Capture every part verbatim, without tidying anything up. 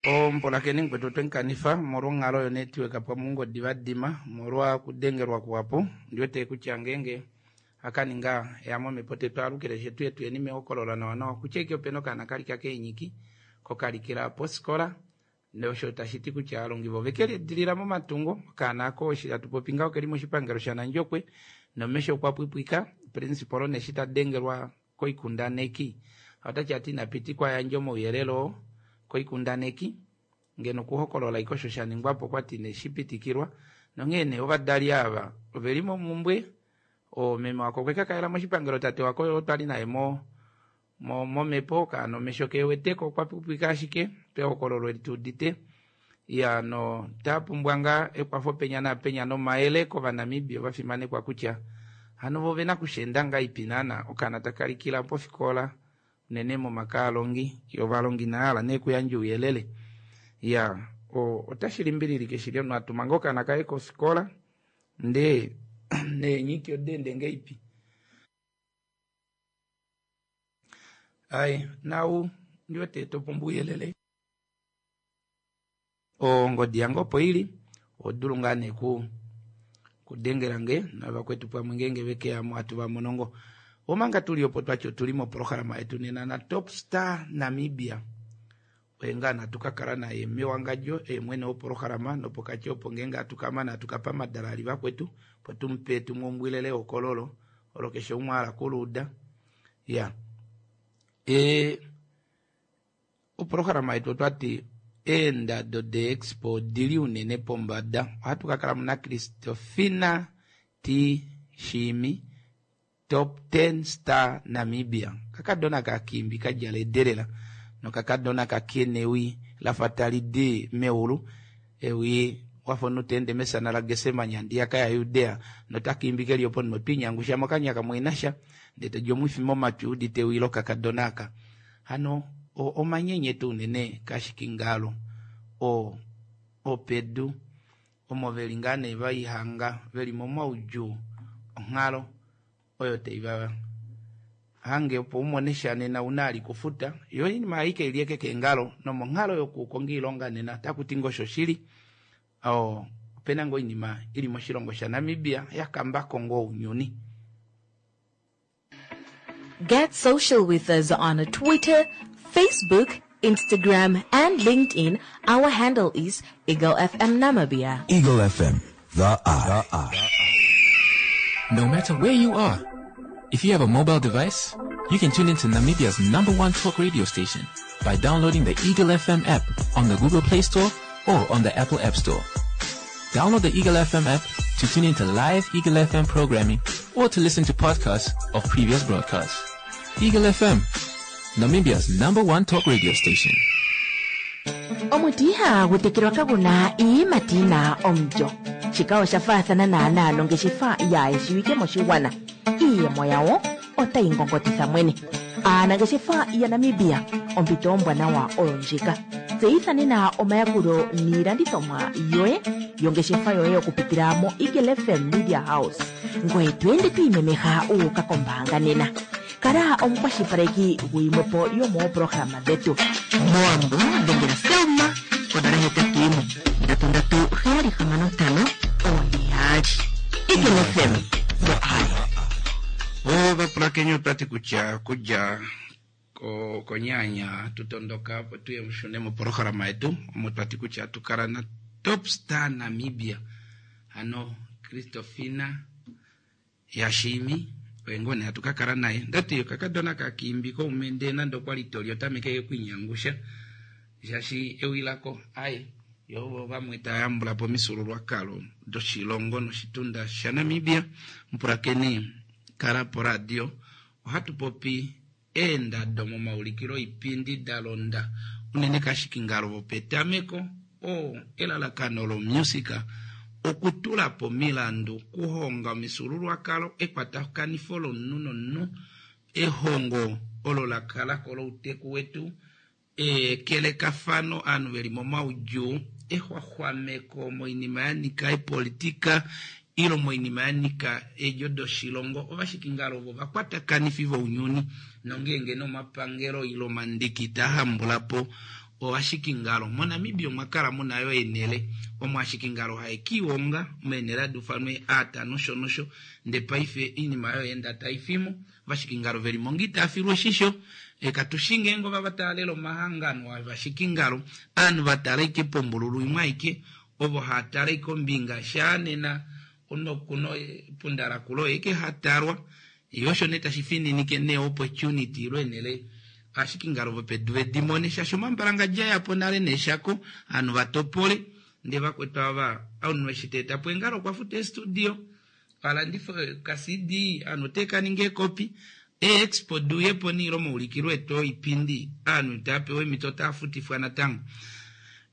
Omupulakeni mukwetu otwemukanifa omolwa onghalo yonetiweka pamwe oungodi vadima omolwa okudengelwa kuhapu. Ondiwete kutya ngeenge akaninga eyamomhepo tetwaalukile shetu tuyeni mehokolola nawa nawa kutya ike opena okaana kalika keenyiki kokalikila pofikola osho tashiti kutya aalongi vo ovekeliidilila momatungo. Okaana ako eshi hatu popi ngaho okeli moshipangelo shaNandjokwe nomesho okwa pwipwika. Principal neshi tadengelwa koikundaneki otati ati inapitikwa ayandje omauyelele oo koikundaneki ngeno okuhokolola ashike osho shaningwapo okwati ineshipitikilwa nonghee nee ovadali ava oveli momumbwe. Meme wako okwe kakalela moshipangelo, tate wako oye twali naye mo momhepo okaana omesho keweteko okwa pwipwika ashike pehokololo eli tuudite iya no tapumbwa ngaa ekwafo penya naapenya nomayele kovanamibia ovafimanekwa kutya hano vo ovena okusheenda ngahelipi naana okaana takalikila pofikola unene momaka aalongi yo ovalongi inahala nee okuyandja ouyelele. Iya otashi limbililike shili omunhu atuma ngoo okaana kaye kofikola ndee neenyiki odaende ngahelipi. Ai nau ndiwete topumbwa ouyelele ongodi yange opo ili ohodulu ngaa nee kudengelange navakwetu pamwe ngeenge vekeyamo hatu vamono ngoo. Omanga tuli opo twati otuli moprograma yetu nena na Top Star Namibia oye ngaa natu kakala naye mewangadjo eye mwene woprograma nopokati opo ngeenge hatu kamana hatu kapa madalali vakwetu opo tumupe tumumbwilele ehokololo olo keshe umwe ahala okuluuda. Ya e oprograma yetu otwati eendado de expo odili unene pombada. Ohatu kakala muna Kristofina T Shiimi Top ten Star Namibia kakadona kakimbi kadjala ederela nokakadona kakenewi lafa tali di meulu ewi wafa omunhu teende mesana laGetsemane handiyaka yaJudea notakimbi keli opo notwinyangusha mokanya kamwe nasha ndee todi omwifi momatwi udite ewi lokakadona aka. Hano omanyenyeto unene kashikingalo o opedu omo veli ngaa nee vaihanga veli momaudjuu onghalo oyo taiva hange opo umone sha nena una ali kufuta yo oinima aike ili eke keengalo nomonghalo yokukonga oilonga nena otakuti ngoo oshoshili opena ngoo oinima ili moshilongo shaNamibia yakambako ngoo ounyuni. Get social with us on Twitter, Facebook, Instagram, and LinkedIn. Our handle is Eagle F M Namibia. Eagle F M, the eye. The eye. No matter where you are, if you have a mobile device, you can tune into Namibia's number one talk radio station by downloading the Eagle F M app on the Google Play Store or on the Apple App Store. Download the Eagle F M app to tune into live Eagle F M programming or to listen to podcasts of previous broadcasts. Eagle F M, Namibia's number one talk radio station. Omuti ihagu tekelwa kaguna iiyimati yina omulyo. Shika osha faathana naanaa nongeshefa yaayeshiwike moshigwana. Iiyemo yawo otayi ngongotitha mwene. Aanangeshefa yaNamibia, ompito ombwanawa oyo ndjika. Tseyitha nena omayakulo niilandithomwa yoye yongeshefa yoye okupitila mo Eagle F M Media House. Ngoye to ende to imemeha uuka kombaanga nena. Kala omukwashilipaleki guyimwepo yomooprograma dhetu. Mowambo dhengela Selma konola hetatu yimwe ndatu ndatu heyali hamano ntano one yaali. Eagle F M, the eye. Ovapulakeni otwati kutya kudja konyanya tutondoka opo tuye mushune moprograma yetu omo twati kutya tukala na Top Star Namibia hano Kristofina Yashimi oye ngoo nee hatu kakala naye. Ndati okakadona kakimbi koumende nande okwali toli otameke okwinyangusha shaashi ewi lako ai yo vamwe tayambula po omifyuululwakalo doshilongo noshitunda shaNamibia. Mupulakeni kala poradio ohatu popi eendado momaulikilo oipindi da londa unene kashikingalo vopetameko o elalakano lomusika okutula po milandu kuhonga omifyuululwakalo ekwatakanifo lomunhu nomunhu ehongo olo lakalako louteku wetu ekelekafano ovanhu veli momaudjuu exwaxwameko moinima ya nyika epolitika ilo moinima ya nyika eedjo doshilongo. Ovashikingalo ovo vakwatakanifi vounyuni nongeenge nomapangelo ilo omandiki taa hambula po Ovashikingalo moNamibia omwa kala muna yo eenhele omo ashikingalo haekiwonga meenhele hadi ufanwa eeata nosho nosho, ndee paife oinima oyo enda taifimo ovashikingalo velimo ngoo itaafilwa oshisho katushi ngeenge ova taalela omahangano ovashikingalo ovanhu vatala ashike pombululu imwe aike ovo haatala ashike ombinga shaanena onokuno epunda lakula oye ike hatalwa yee osho nee tashi fininike nee opportunity ilo eenhele ashikingalo vopedu vedimone shaashi omambalangadja yapo nale neeshako ovanhu vatopole ndee vakwetu ava omunhu eshi teetapo eengalo okwa futa eestudio alandife ka C D ovanhu otekaninga eekopi eexpo duuyepo niilo omaulikilo etu oipindi ovanhu itaapewa eemhito otaafutifwa natango.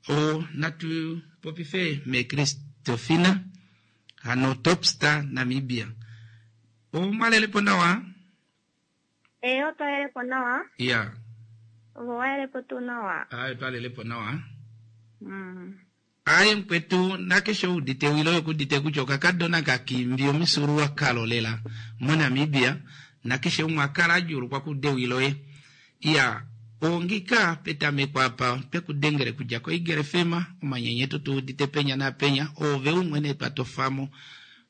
O natu popife mee Kristofina hano Topstar Namibia omwalelepo nawa? Ee, otwalelepo nawa. Iya. Ovo walelepo tuu nawa? Aye, twalelepo nawa. Mm. Aye mukwetu nakeshe oudite wilo yokudite kutya okakadona kakimbi omifyuululwakalo lela moNamibia nakeshe umwe akala adjuulukwa kudewiloye. Iya, ongika petameko apa twekudengele kudja koEagle F M omanyenyeto tuudite penya napenya ove umwe nee twatofamo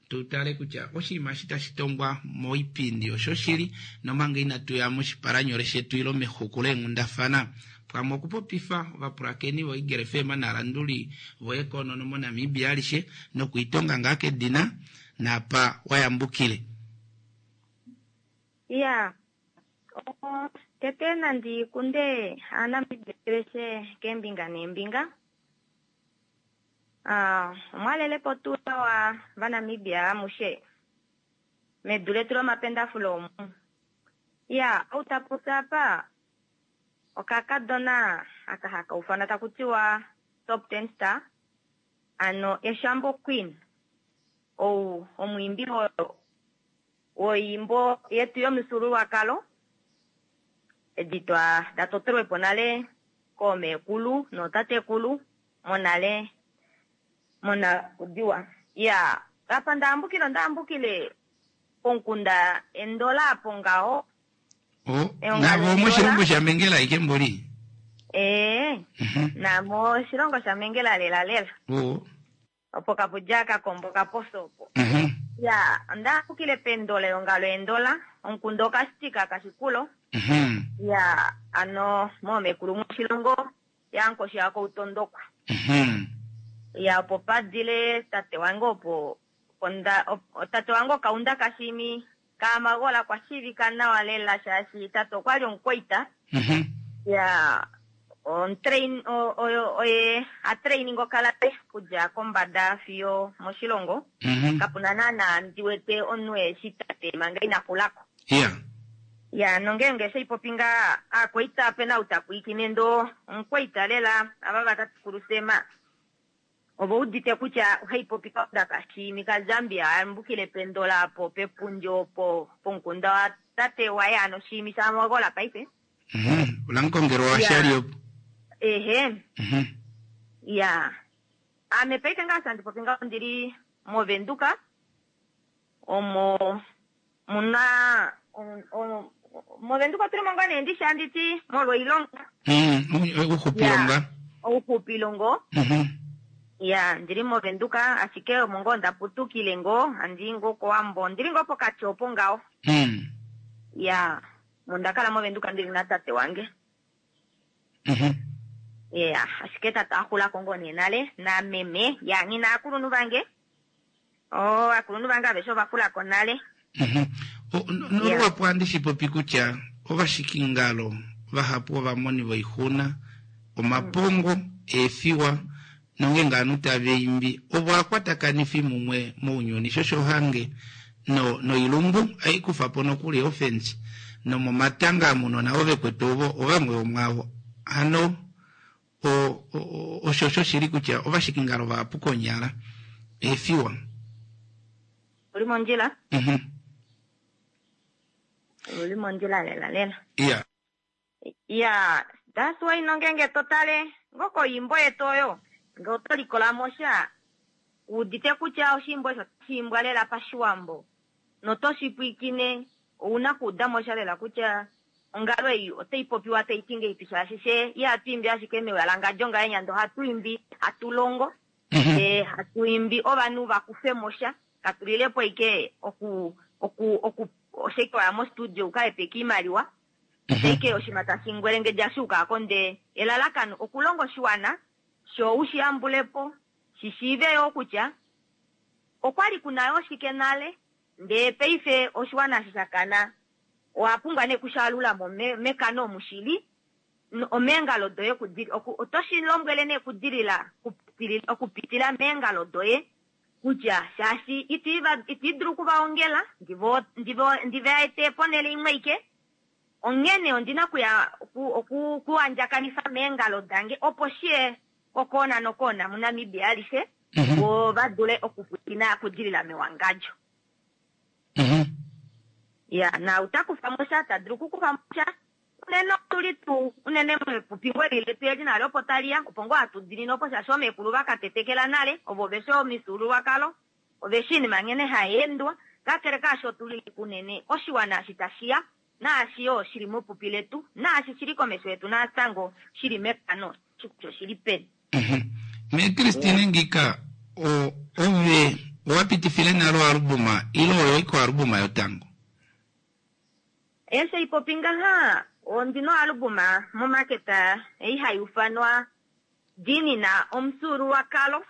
tutale kutya oshinima eshi tashi tongwa moipindi oshoshili nomanga inatuya moshipalanyole shetu ilo mexuku leenghundafana pamwe okupopifa ovapulakeni voEagle F M nalanduli voekonono moNamibia alishe nokuitonga ngaa kedina napa wayambukile. Iya, o, tete nandi kunde Aanamibia aveshe keembinga neembinga. Ah, omwalelepo tuu nawa vaNamibia amushe medu letu lomapendafulo omu. Iya, ou tapopi apa okakadona aka haka ufana taku tiwa Top Ten Star ano Eshambo Queen ou omwiimbi woimbo yetu yomifyuululwakalo edi twa datotelwepo nale koomekulu nootatekulu monale monakudiwa. Iya, apa ndaambukile ondaambukile pomukunda Endola apo ngaho. O, Eongalo navo moshilongo Endola. shaMengela ike mboli? Ee, Mhm. namo oshilongo shaMengela lela lela. O. Opo kapudja kakombo kaposo opo. Mhm. Ya, ondaambukile pEndola eongalo Endola, omukunda okashitika kashikulo. Mhm. Ya, ano moomekulu moshilongo yankoshi yakoutondokwa. Mhm. Ya, opo padile tate wange opo onda op, tate wange okaunda kashimi kaamagola kwa shiivika nawa lela shaashi tate okwali omukwaita. Mhm. Ya, on train oyo oye a training okalate kudja kombada fiyo moshilongo. Mhm. Kapuna naana ndi wete omunhu eshi tate manga ina xulako. Iya. Ya, nongeenge sheipopi ngaa aakwaita opena ou tapwiikine ndo omukwaita lela ava vatatekulu Sema ovo udite kutya ohaipopi kaunda kashimi kaZambia ayambukile pEndola apo pepundi opo pomukunda wa tate waye ano Shiimi shaMagola paife. Mhm. Ulankongelwa washali Ya. opo. Ehe. Mhm. Ya, ame paife ngaa sandi popi ngaho ndili moVenduka omo muna o- o- moVenduka otuli mo ngaa nee ndishi anditi molwa oilonga. Mhm. Uxupilonga. Ya, ouxupilongo. Mhm. Ya, ndili moVenduka ashike omo ngoo ndaputukile ngoo andi ngoo kOwambo ndili ngoo pokati opo ngaho. Mm. Ya, mondakala moVenduka ndili natate wange. Mhm. Ya, ashike tate axulako ngoo nee nale nameme ya ngina akulunhu vange. O, akulunhu vange aveshe ovaxulako nale. Mhm. O, no- nolwapo andi shipopi kutya ovashikingalo vahapu ovamoni voixuna omapongo eefiwa nongeenge ovanhu tava imbi ovo akwatakanifi mumwe mounyuni shosho hange no noilumbu aikufapo nokuli ofensi nomomatanga amunona ovekwetu ovo ovamwe vomwavo hano o, o, o, osho osho shili kutya ovashikingalo vahapu konyala eefiwa. Uli mondjila? Mhm. Uli mondjila lela lela. Iya. Ya, that's why nongenge totale ngoko imbo yetu oyo nge oto likola mo sha udite kutya oshimbo osho otashi lela pashiwambo noto shi pwiikine ouna kuuda mo sha lela kutya ongalo ei otai popiwa tai ti ngeipi shaashi she ihatu imbi ashike mewalangandjo ngahenya ndee ohatu imbi hatu longo ndee hatu imbi ovanhu vakufemo sha katulilepo ike oku oku oku oshike waya mostudio ukahepeke iimaliwa ashike oshinima tashi ngwelengedja shuukako ndee elalakano okulonga oshiwana sho ushiyambulepo shishiive yoo kutya okwali kuna yoo shike nale ndee paife oshiwana eshi shakana owapumbwa nee kushalulamo mekano omu shili omeengalo doye otoshi lombwele nee kudilila okupitila meengalo doye kutya shaashi iti dulu okuvaongela ndivaete ponele imwe ike onghene ondina okuya okuandjakanifa meengalo dange opo shiye kokoona nokoona muNamibia alishe vo vadule okupwilikina okudilila mewangadjo. Ya na utakufamo sha tadulu okukufamo sha unene otuli tuu unene mepupi eli letu eli nale opo taliya opo ngoo hatu dinine opo shaashi oomekulu vakatetekela nale ovo veshi omifyuululwakalo oveshi iinima nghene hayeendwa kakele kaasho otuli kunene oshiwana eshi tashiya naashi yoo shili mepupi letu naashi shili komesho yetu natango shili mekano kutya oshili peni. Me Christine ngika ove owapitifile nale oalubuma ile oyo iko albuma yotango? Eshi ipopi ngaha ondina oalubuma momaketa ei hai ufanwa Dinina omufyuululwakalo.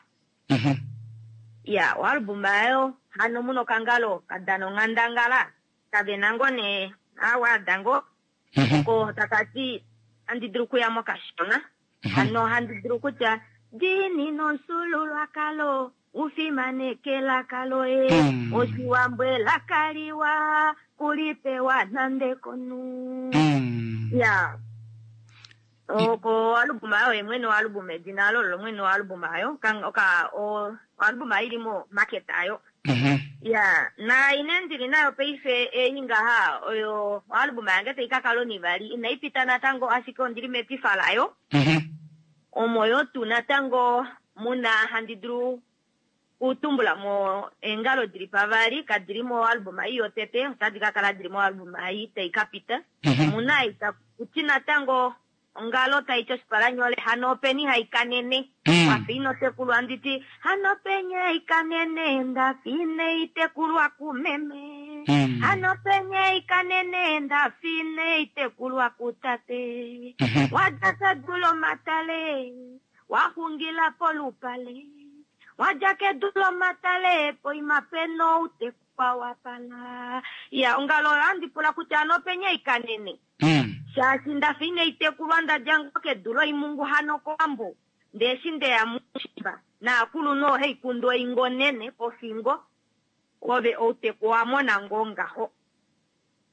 Ya oalubuma ayo hano muna okangalo kadana onghandangala kavena ngoo nee awaada ngoo oko takati handi dulu okuyamo kashona hano handi dulu kutya dinina omufyuululwakalo ufimaneke elaka loye oshiwambo elaka liwa kulipewa nande konu. Ya oko oalubuma ayo yemwene oalubuma edina alo lolo mwene oalubuma ayo oka oalubuma ili mo market ayo. Ya na ine ndili nayo paife ei ngaha oyo oalubuma yange tai kakala onivali inaipita natango ashike ondili metifa layo omo yo tuu natango muna handi dulu kutumbula mo eengalo dili pavali kadili moalbuma ei yotete otadi kakala dili moalbuma ei tai kapita omuna ei takuti natango ongalo taiti oshipalanyole hano openi haikanene wafa ino tekulwa nditi hano penye haikanene ndafa ine itekulwa kumeme hano penye haikanene ndafa ine itekulwa kutate wadja kedu lomatale waxungila polupale wadja kedu lomatale poima pena outekwa wapala. Ya ongalo oyo handi pula kutya hano penye haikanene shaashi ndafa ine itekulwa ndadja ngoo kedu loimungu hano kowambo ndee eshi ndeya muushimba naakulunhu ohaikundu oingonene pofingo ove outeku owamona ngoo ngaho.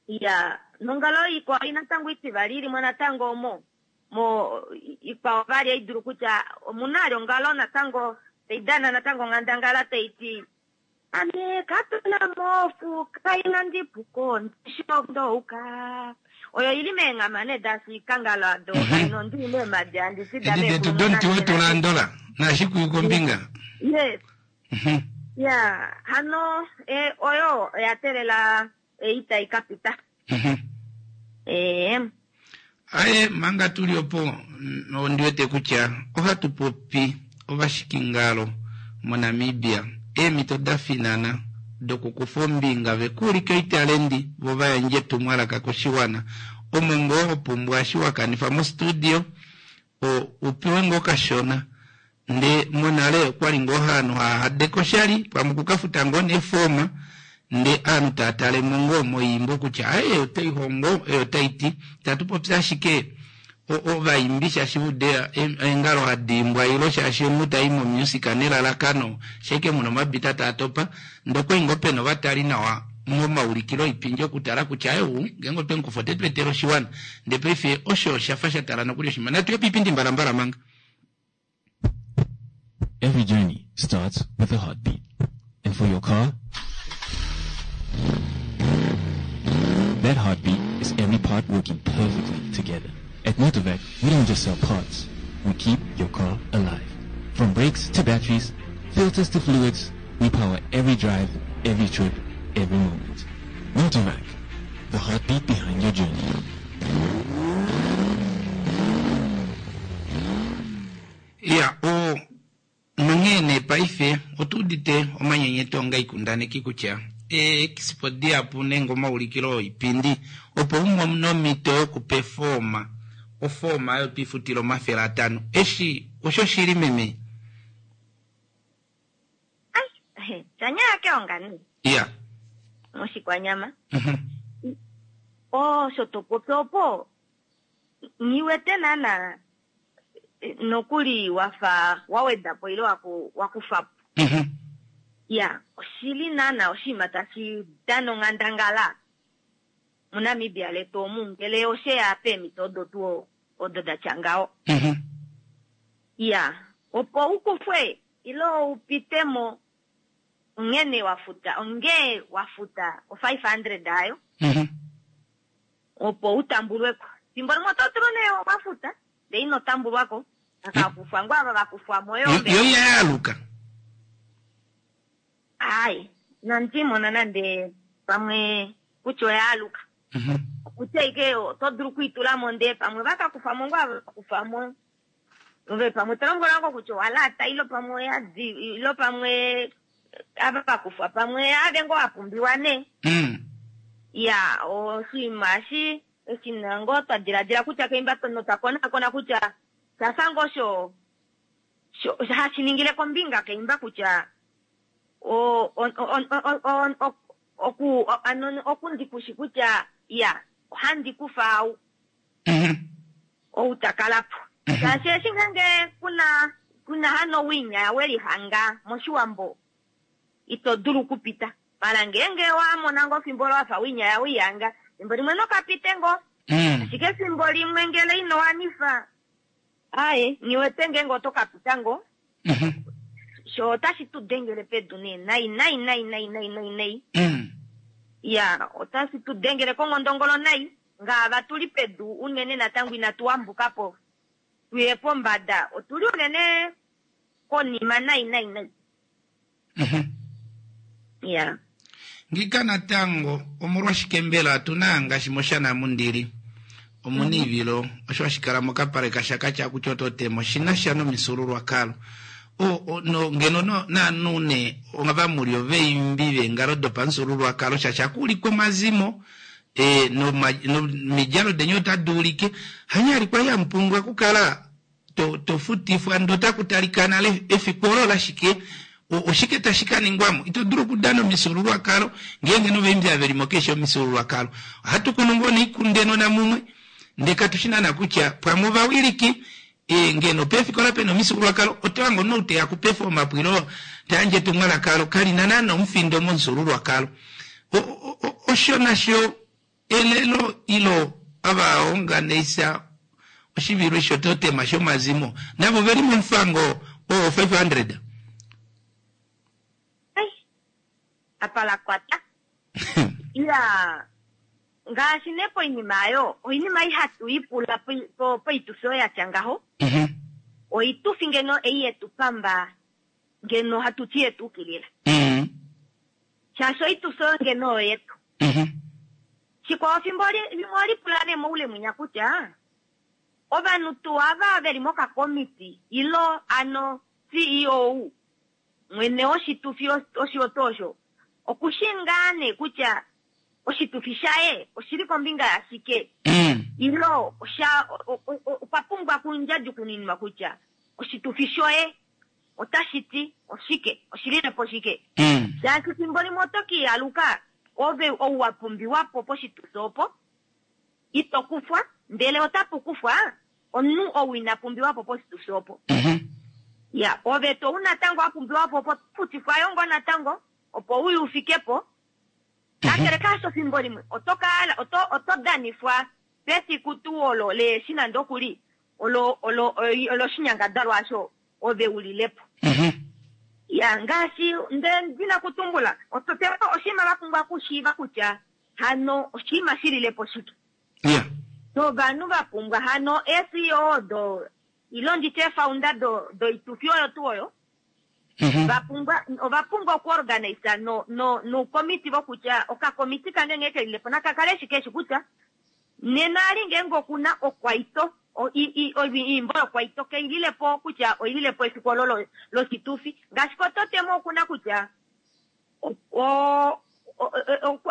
Ya nongalo ikwao natango itivali ilimo natango omo mo ikwao vali haidulu kutya omuna ali ongalo natango taidana natango onghandangala taiti ame katuna mofuka inandipuko ndishondouka oyo ili meenghama nee dashikangalo ado nondi meemadi handi edi detu domuti wetulandola nashikuyu kombinga. Yes. Ya hano e, oyo oya telela ei tai kapita. Ee Aye manga tuli opo ondi wete kutya ohatu popi ovashikingalo moNamibia eemhito da finana dokukufa ombinga vekuulike oitalendi vo vayandje etumwalaka koshiwana omo ngoo hopumbwa eshi wakanifa mostudio upewe ngoo kashona ndee monale okwali ngoo ovanhu hahadeka oshali pamwe okukafuta ngoo neefoma ndee ovanhu tava talemo ngoo moyiimbo kutya aye otaihongo eyo otaiti tatu popi ashike ovaimbi shaashi ude eengalo hadiimbwa ilo shaashi omunhu tai momusic nelalakano shaike muna omabita taa topa ndee okwali ngoo pena ovatali nawa momaulikilo oipindi okutala kutya eu ngeenge otwe mukufa otetu etele oshiwana ndee paife osho oshafa shatala nokuli oshima natuye piipindi mbalambala manga. Every journey starts with a heartbeat. And for your car, that heartbeat is every part working perfectly together. At Motorvac, we don't just sell parts. We keep your car alive. From brakes to batteries, filters to fluids, we power every drive, every trip, every moment. Motorvac, the heartbeat behind your journey. Ya o nonghee nee paife otuudite omanyenyeto onga ikundaneki kutya eexpo dihapu nenge omaulikilo oipindi opo umone omhito yokupefoma ofooma oyo twifutile omafele atano eshi osho shili meme? Ai, shanyaya keonga nee. Ya. Moshikwanyama. Mhm. Osho topopi opo nghiwete naana nokuli wafa wawedapo ile waku wakufapo. Mhm. Ya, oshili naana oshinima tashi dana onghandangala muNamibia letu omu ngele osheya peemhito odo tuu odo datya ngaho. Mhm. Ya, opo ukufwe ile upitemo onghene wafuta onge wafuta o five hundred ayo Mhm. opo utambulweko. Fimbo limwe oto dulu nee wafuta ndee ino tambulwako akakufwa ngoo ava vakufwamo Yo yo iyayaluka. Ai, inandimona nande pamwe kutya oyaaluka. Mhm. Okutya ike oto dulu okwiitulamo ndee pamwe vakakufamo ngoo ava vakufamo ove pamwe tolombwelwa ngoo kutya owalaata ilo pamwe oyadi ilo pamwe ava vakufwa pamwe ave ngoo wapumbiwa nee. Mm. Ya, oshinima eshi eshina ngoo twa diladila kutya keimba notwa konakona kutya shafa ngoo sho sho hashi ningile kombinga keimba kutya o o o o o oku ano okundikushi kutya ya ohandi kufa au Mhm. ou takalapo. Shaashi eshi ngenge kuna kuna hano winya welihanga moshiwambo ito dulu okupita. Mala ngenge wamona ngoo fimbo wafa winya wihanga fimbo limwe nokapite ngoo. Mm. Ashike fimbo limwe ngele ino wanifa aye nghiwete ngenge oto kapita ngoo. Mhm. Sho otashi tu dengele pedu nee nai nai nai nai nai nai nai. Mm. Ya, otashi tu dengele kongondongolo nai ngaava tuli pedu unene natango inatu wambukapo tuye pombada otuli unene konima nai nai nai. Mhm. Ya. Ngika natango omolwashike mbela tuna ngaashi moshana mundili omuna ivilo osho hashikala mokapale kashakatya kutya ototemo shinasha nomifyuululwakalo o, o, no, ngeno no, naanhu ne ovamuli ovaimbi veengalo dopamufyuululwakalo shaashi akuulikwa omazimo e, nomidjalo denye otadi ulike hanyali kwali hamupumbwa okukala to, tofutifwa ndee otaku nale efiku olo lashike oshike tashi ka ningwamo ito dulu okudana omifyuululwakalo ngeenge novaimbi avelimo keshe omifyuululwakalo ohatu kunu ngoo noikunde namumwe ndee katushi naana kutya pamwe ovawiliki e, ngeno pefikola pena omifyuululwakalo otohango nouteya kupefoma pwilo tayandje etumwalaka kalina naana omufindo momufyuululwakalo osho nasho elelo ilo avaonganeisa oshivilo esho totema shomazimo navo veli momufango oo five hundred. Ai, apa la kwata. Ya, ngaashi nee poinima ayo oinima ihatu ipula poitufi oyo yatya ngaho. Mhm. Oitufi ngeno ei yetu pamba ngeno hatu ti yetu ukilila. Mhm. Shaashi oitufi oyo ngeno oyo yetu. Mhm. Shikwao fimbo limwe olipula nee moule mwinya kutya ovanhu tuu ava veli mokakomiti ilo ano C E O mwene woshitufi oshioto osho okushi ngaa nee kutya oshitufi shaye oshili kombinga yashike. Mm. Ilo osha okwa pumbwa kundjadjukuninwa kutya oshitufi shoye otashi ti oshike oshililepo shike. Mm. Shaashi fimbo limwe oto kiialuka ove ou wa pumbiwapo poshitufi opo ito kufwa ndele otapu kufwa omunhu ou ina pumbiwapo poshitufi opo. Mhm. Ya, ove to u natango wa pumbiwapo opo futifwa yo ngoo natango opo uye ufikepo. Kakele kaasho fimbo limwe oto kala oto oto danifwa pefiku tuu olo leeshi nande okuli olo olo olo shinyangadalwa asho ove ulilepo. Mhm. Ya, ngaashi nde ndina kutumbula oto te oshinima va pumbwa okushiiva kutya hano oshinima shililepo shike. Yeah. Novanhu va pumbwa hano E C O do ilo nditye founder do doitufi oyo tuu oyo. Mhm. Va pumbwa ova pumbwa okuorganize no no no committee vokutya okakomiti kange ngee kelilepo nakakale shike eshi kutya Nena ali ngeenge okuna okwaito oimbo yokwaito keililepo kutya oililepo efiku olo loshitufi ngaashi kototemo okuna kutya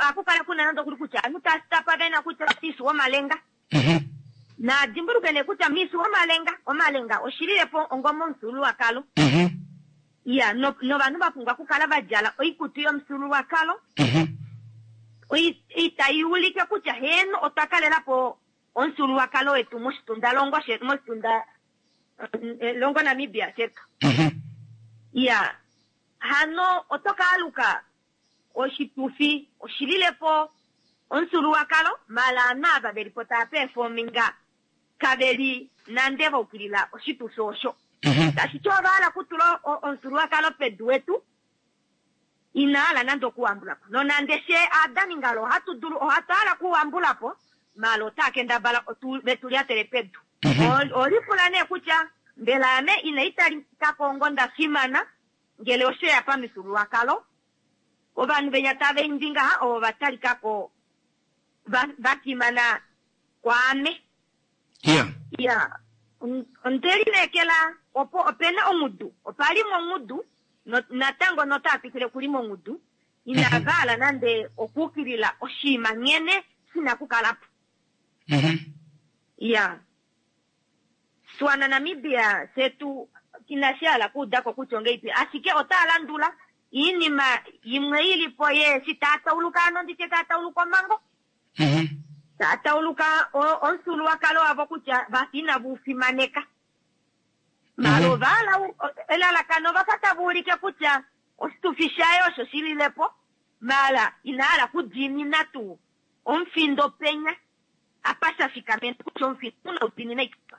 akukala kuna nande okuli kutya anu tastapa vena kutya tisu omalenga na dimbuluke ne kutya misu omalenga omalenga oshililepo ongomo omufyuululwakalo ya novanhu vapumbwa okukala vadjala oikutu yomufyuululwakalo itai ulike kutya heno otwa kalelapo omufyuululwakalo wetu moshitundalongo shetu moshitunda longo Namibia shetu ya hano oto kaaluka oshitufi oshililepo omufyuululwakalo mala ovanhu ava velipo tava performinga kaveli nande vaukilila oshitufi osho tashiti ovahala kutula omufyuululwakalo pedu wetu inahala nande okuwambulapo nonande she aadaningalo ohatu dulu ohatu hala okuwambulapo mala otaa kendabala vetu lyatele pedu olipula nee kutya mbela ame ina italikako ongo nda fimana ngele osheya pamifyuululwakalo ovanhu venya tava imbi ngaha ovo vatalikako vafimana kwaame ya ondelineekela opo opena ongudu opali mongudu natango notaa twikile kuli mongudu inavahala nande okuukilila oshiima nghene shina kukalapo ya swana Namibia shetu inashi hala kuudako kutya ongeipi ashike otaa landula iinima imwe ilipo yeeshi taa tauluka ano nditye taa tauluka omango taa tauluka omufyuululwakalo wavo kutya vafa inava ufimaneka mala ovahala elalakano vafa tava ulike kutya oshitufi shaye osho shililepo mala inahala kudiinina tuu omufindo penya apa sha fikamena kutya omufindo una udiinina ikufa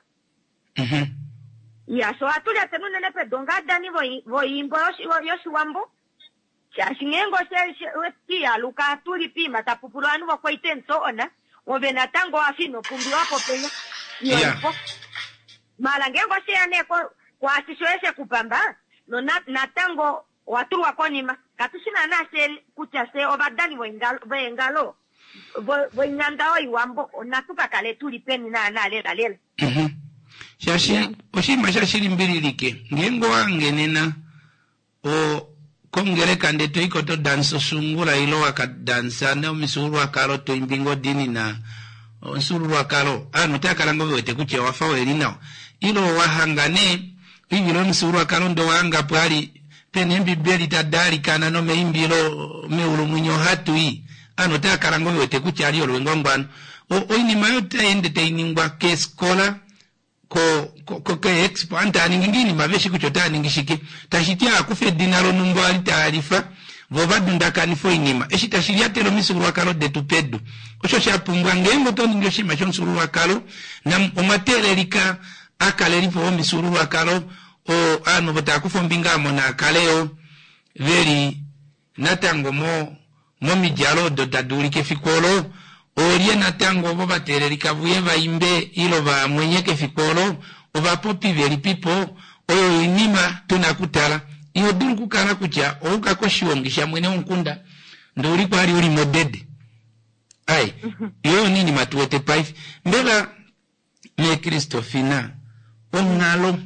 ya so ohatu lyateni unene pedu ongaadani voimbo yoshiwambo shaashi ngeenge oshiyaluka tuli piima tapupula ovanhu vokwaita and so on ove natango wafa inopumbiwapo penya iyoipo mala ngeenge osheya nee kwaashi shoye shekupamba natango owatulwa konima katushi naana she kutya she ovadani voengalo voinyanda oiwambo natu kakale tuli peni naana lela lela shaashi oshinima shashilimbililike ngeenge owangenena o kongeleka nde toiko to dansa osungula ilo wakadansa nomifyuululwakalo toimbi ngodini na omufyuululwakalo ovanhu otava kala ngoo vewete kutya owafa weli nawa ilo wahanga nee oivilo yomufyuululwakalo ndo wahanga pwali pena eembibeli tadaalikana nomeimbilo meulu mwinyo ohatu i ovanhu otava kala ngoo vewete kutya ali olwengwangwano oinima oyo taende tainingwa keefikola ko ko ko expo antu taaningi ngiinima veshi kutya otaa ningi shike tashiti aakufa edina lonumba ali taalifa vo vadundakanifa oinima eshi tashi lyatela omifyuululwakalo detu pedu osho shapumbwa ngeenge oto ningi oshinima shomufyuululwakalo omwa teelelika akalelipo vomifyuululwakalo ovanhu ovo tava kufa ombinga amo naakaleyo veli natango mo momidjalo odo tadi ulike efiku olo olye natango ovo vateelelika vuye vaimbe ilo vamwenyeke efiku olo ovapopi velipipo oyo oinima tuna kutala iho dulu okukala kutya ouka koshiongi shamwene womukunda ndee uli kwali uli modede ai iyo oyo iinima tuwete paife mbela meekristofina onghalo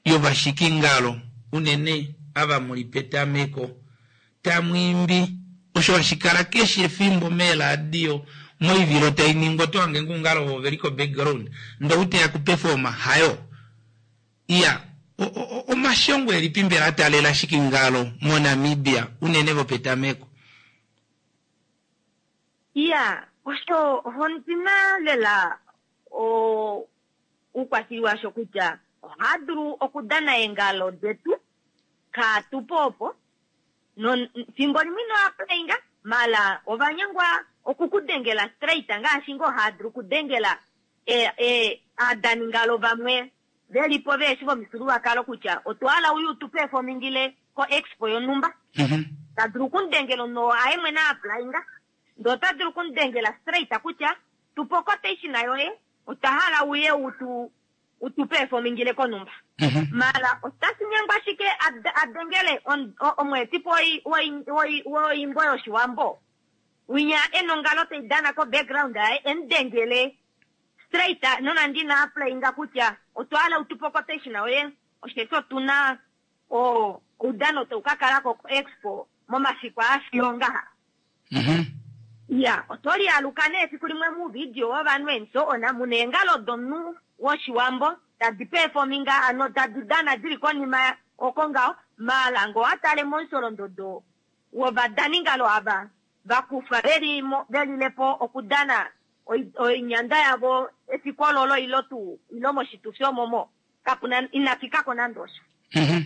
yovashikingalo unene ava muli petameko tamwiimbi osho hashikala keshe efimbo meeradio moivilo tainingwa oto hange ngungalo ovo veli ko background ndee outeya kuperforma hayo iya omashongo elipi mbela ataalela shikingalo moNamibia unene vopetameko iya osho ondina lela uukwashili washo kutya ohaa dulu okudana eengalo detu kaatupo opo fimbo limwe ino mala ovanyengwa okukudengela straight ngaashi ngoo haa dulu okudengela aadaningalo vamwe velipo veeshi vomifyuululwakalo kutya otwa hala uye utu performingile ko expo yonumba ta dulu okumudengela no aye mwene aaplayinga ndee ota dulu okumudengela straight kutya tupa quotation yoye otwa hala uye utu utu performingile konumba mala otashi nyengwa ashike adengele omweetipo woimbo yoshiwambo Winya enongalo taidana ko background yaye emudengele straight nonande ina applyinga kutya otwa hala utupe quotation yoye osheshi otuna o oudano tau ka kalako ko expo momafiku aafiyo ngaha. Mhm. Ya, oto lialuka nee efiku limwe muuvidio wovanhu and so on, muna eengalo domunhu woshiwambo tadi performinga ano tadi dana dili konima oko ngaho, maala ngee owatale momusholondodo wovadaningalo ava vakufa veli velilepo okudana oinyanda yavo efiku ololo ilo tuu ilo moshitufi omomo kapuna inafikako nande osho. Mhm.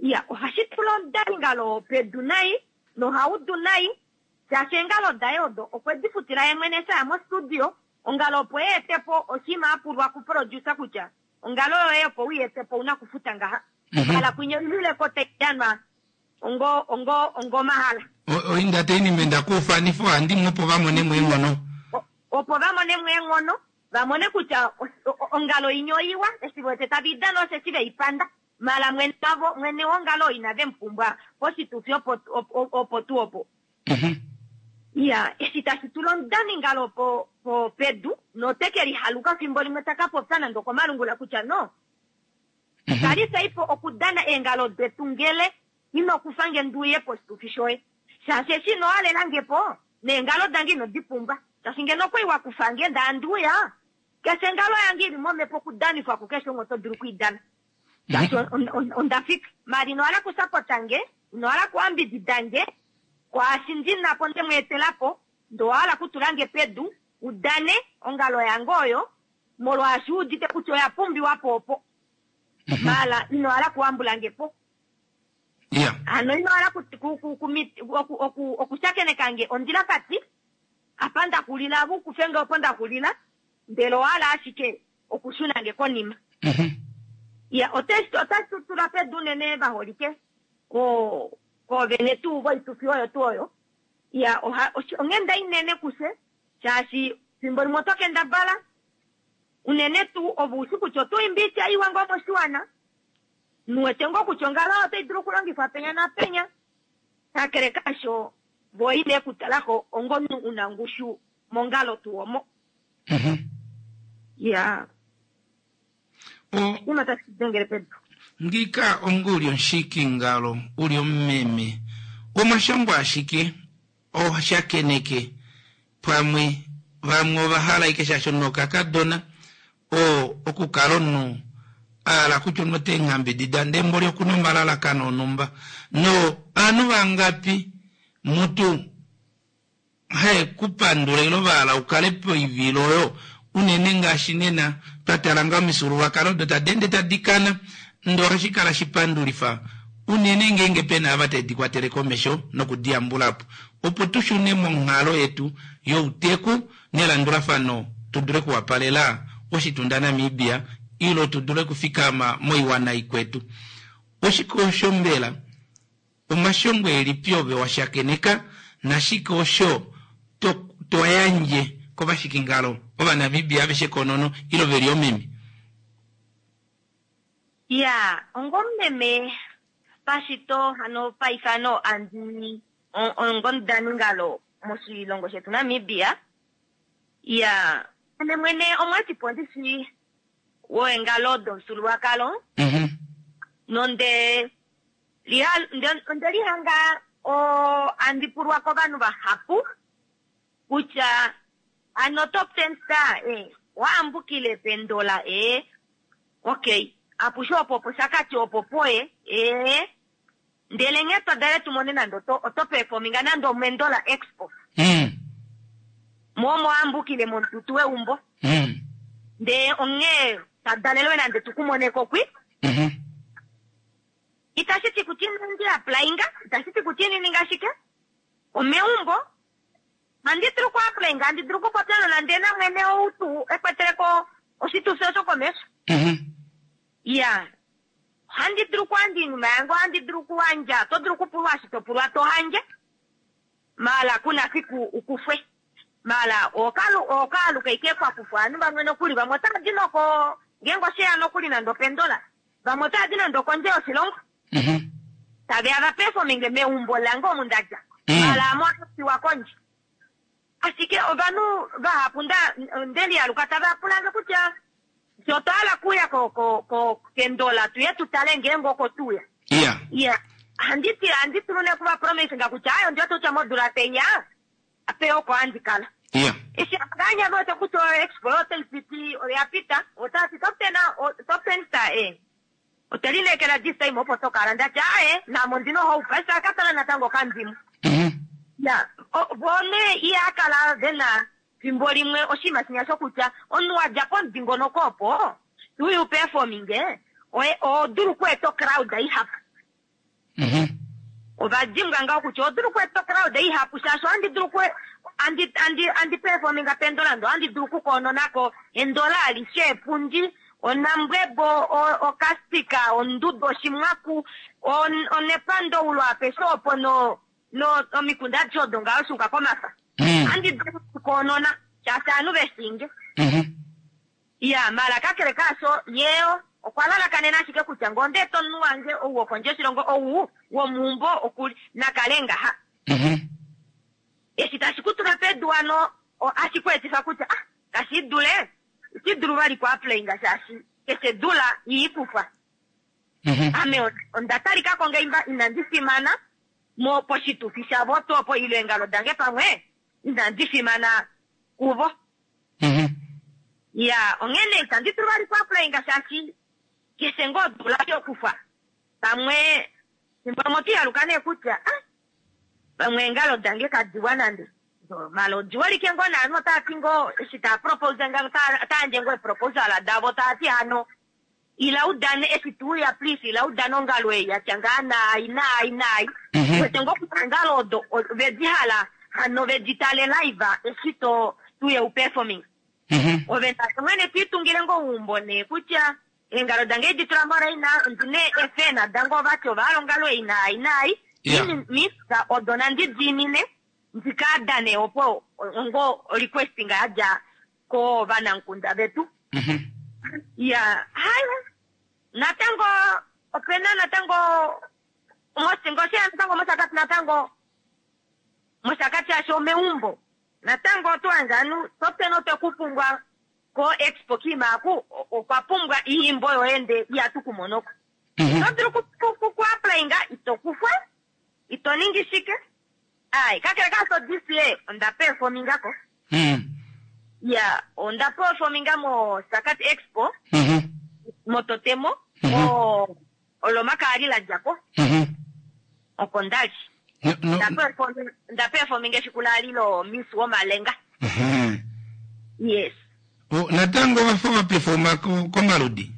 Ya, ohashi tula omudaningalo pedu nai nohaudu nai shaashi eengalo daye odo okwe di futila ye mwene eshi aya mostudio ongalo opo eetepo oshinima apulwa kuproducer kutya ongalo yoye opo uyeetepo ouna kufuta ngaha. Mhm. Hala kwinya oilileko taidanwa ongo ongo ongo mahala. Oinda teinime ndakuufanifa ohandimwe opo vamone mo eenghono. O- opo vamone mo eenghono vamone kutya os- o- ongalo inya oiwa eshi wete tave idana osheshi veipanda mala mwene wavo mwene wongalo inave mupumbwa poshitufi opo opo opo tuu opo. Mhm. Ya, eshi tashi tula omudaningalo po po pedu noteke lihaluka fimbo limwe taka popya nande okomalungula kutya no Mhm. kalisaipo okudana eengalo detu ngele ino kufa nge nduuye poshitufi shoye shaashi eshi ino halelangepo neengalo dange ino di pumbwa shaashi ngeno okwali wa kufange ndaa nduuya keshe engalo yange ili momhepo okudanifwa kukeshe umwe oto dulu okuidana shaashi on- on- onda fika maala ino hala kusapota nge ino hala kuambidida nge kwaashi ndinapo nde mu etelapo ndee owahala kutulange pedu udane ongalo yange oyo molwaashi uudite kutya oya pumbiwa po opo Mhm. maala ino hala kuambulange po Ya. ano ino hala ku- ku- ku- kumi- oku- oku- okushakeneka ondjilakati apa ndaxulila ava ukufenge opo ndaxulila ndele owahala ashike okushunange konima. Mhm. Ya, otashi otashi tutula pedu unene vaholike ko koovene tuu voitufi oyo tuu oyo. Ya, oha oshi- onghenda inene kufye shaashi fimbo limwe oto kendabala unene tuu ove ushi kutya oto imbi oitya iwa ngoo moshiwana nuwete ngoo kutya ongalo oyo otai dulu okulongifwa penya napenya kakele kasho vo ine kutalako ongomunhu una ngushu mongalo tuu omo. Mhm. Ya, O uma tashi dengele pedu. Ngika onga uli omushikingalo uli omumeme omashongo ashike oshakeneke pamwe vamwe ovahala ashike shaashi omunhu okakadona o okukala omunhu ahala kutya omunhu oteengambidida ndee mboli okuna omalalakano onumba no ovanhu vangapi mutu haye kupandula ilo vahala ukale poivilo oyo unene ngaashi nena twatala nga omifyuululwakalo odo tadi ende tadi kana ndee ohashi kala shipandulifa unene ngeenge pena ava tadi kwatele komesho nokudiyambulapo opo tushune monghalo yetu youteku nelandulafano tudule okuwapalela oshitunda Namibia ilo tudule okufikama moiwana ikwetu. Oshike osho mbela omashongo elipi ove washakeneka nashike osho to, to yandje kovashikingalo ovanamibia aveshe konono ilo veli omeme? Ya, ongomumeme pashito hano paifano andi on- ongomudaningalo moshilongo shetu Namibia. Ya, ame mwene omweetipo ndishi woengalo domufyuululwakalo Mhm. nonde liha- nde- onde lihanga o andi pulwa kovanhu vahapu kutya ano top ten star eh, waambukile pendola eh. Okay, apushe opo opo shakati opo poye eh. Ndele nghee twadale tumone nande oto, oto performinga nande omendola expo Mm. momo ambukile momututu weumbo Mm. ndee onghee tadalelwe nande tukumoneko kwi Mhm. itashi ti kutya inandi applyinga itashi ti kutya inininga shike omeumbo handi dulu ku applyinga handi dulu kupopya nonande namwene ou tuu ekweteleko oshitufi osho komesho. Mhm. Ya, ohandi dulu okuhandja oinima yange ohandi dulu okuhandja oto dulu okupulwa eshi topulwa tohandje maala kuna fiku ukufwe maala okalu okaaluka ike kwakufwa ovanhu vamwe nokuli vamwe otava di noko ngeenge osheya nokuli nande opendola vamwe otava di nande okondje yoshilongo Mhm. taveya va performinge meumbo lange omu ndadja Mm. maala ame otapiwa kondje. Ashike ovanhu vahapu nda ndelialuka tava pulange kutya fye otwa hala kuya ko ko ko kendola tuye tutale ngeenge oko tuya. Iya. Iya. Handiti handitulu ne kuva promise nga kutya ayo ndiwete kutya modula teiya ape oko handi kala. Iya. Eshi nganya vote kutya expo otai piti oya pita otati top ten top ten star eh. Otelineekela this time opo tokala ndati aye namo ndina hope aise akatala natango kandimu. Mhm. Ya, vone ihakala vena fimbo limwe oshinima shinya shokutya omunhu wadja pomudingonoko opo tuyu performing oye odulu okweeta crowd ihapu. Mhm. Ovadimbwa ngaho kutya odulu okweeta crowd ihapu shaashi ohandi dulu okwe andi andi andi performinga pendolando ohandi dulu okukoononako endola alishe epundi onambwebo okastika ondudo oshimwaku onepandoulo apeshe opo no no omikunda adishe odo ngaho shuuka komafa. Andi dulu okukoonona shaashi ovanhu veshinge. Ya mala kakele kaasho yeyo okwa lalakanena ashike kutya ngoo ondeeta omunhu wange ou wokondje yoshilongo ou womuumbo okuli nakale ngaha. Eshi tashi kutula pedu hano ohashi ku etifa kutya ah kashi dule iti dulu vali ku applyinga shaashi keshe dula iikufwa. Ame onda talikako ngeimba inandi fimana mo poshitufi shavo tuu opo ile eengalo dange pamwe inandi fimana kuvo. Ya onghene itandi dulu vali ku applyinga shaashi keshe ngoo odula yokufa pamwe fimbo limwe otihaluka nee kutya ah pamwe eengalo dange kadiwa nande mala odiholike ngoo naanhu otaati ngoo eshi taa propose nga otaayandje ngoo eproposal davo taati hano ila udane eshi tuuya please ila udane ongalo ei yatya ngaa naai naai naai. Wete ngoo kutya eengalo odo vedi hala hano vedi tale live eshi to tuye uperforming. Ove mwene twiitungile ngoo uumbo nee kutya eengalo dange edi tula moraina ndine efena dange ovati ovahala ongalo ei naai naai. Misa odo nandi diinine ndikadane opo ongo requesting yadja kovanamukunda vetu. Ya haya natango opena natango mosingoshe natango moshakati natango moshakati asho omeumbo natango otwandjanu topena otwekupumbwa ko expo kimaku okwa pumbwa iimbo yoende iyatukumonoko. Ito dulu ku applyinga ito kufwa ito ningi shike. Ai kakele kaso this year onda performinga ko. Ya onda performinga mo Sakati Expo mototemo mo olomakali la djako oko ndali. Nda performinga efiku lali lo Miss Womalenga. Yes. Natango wafa waperforma komaludi?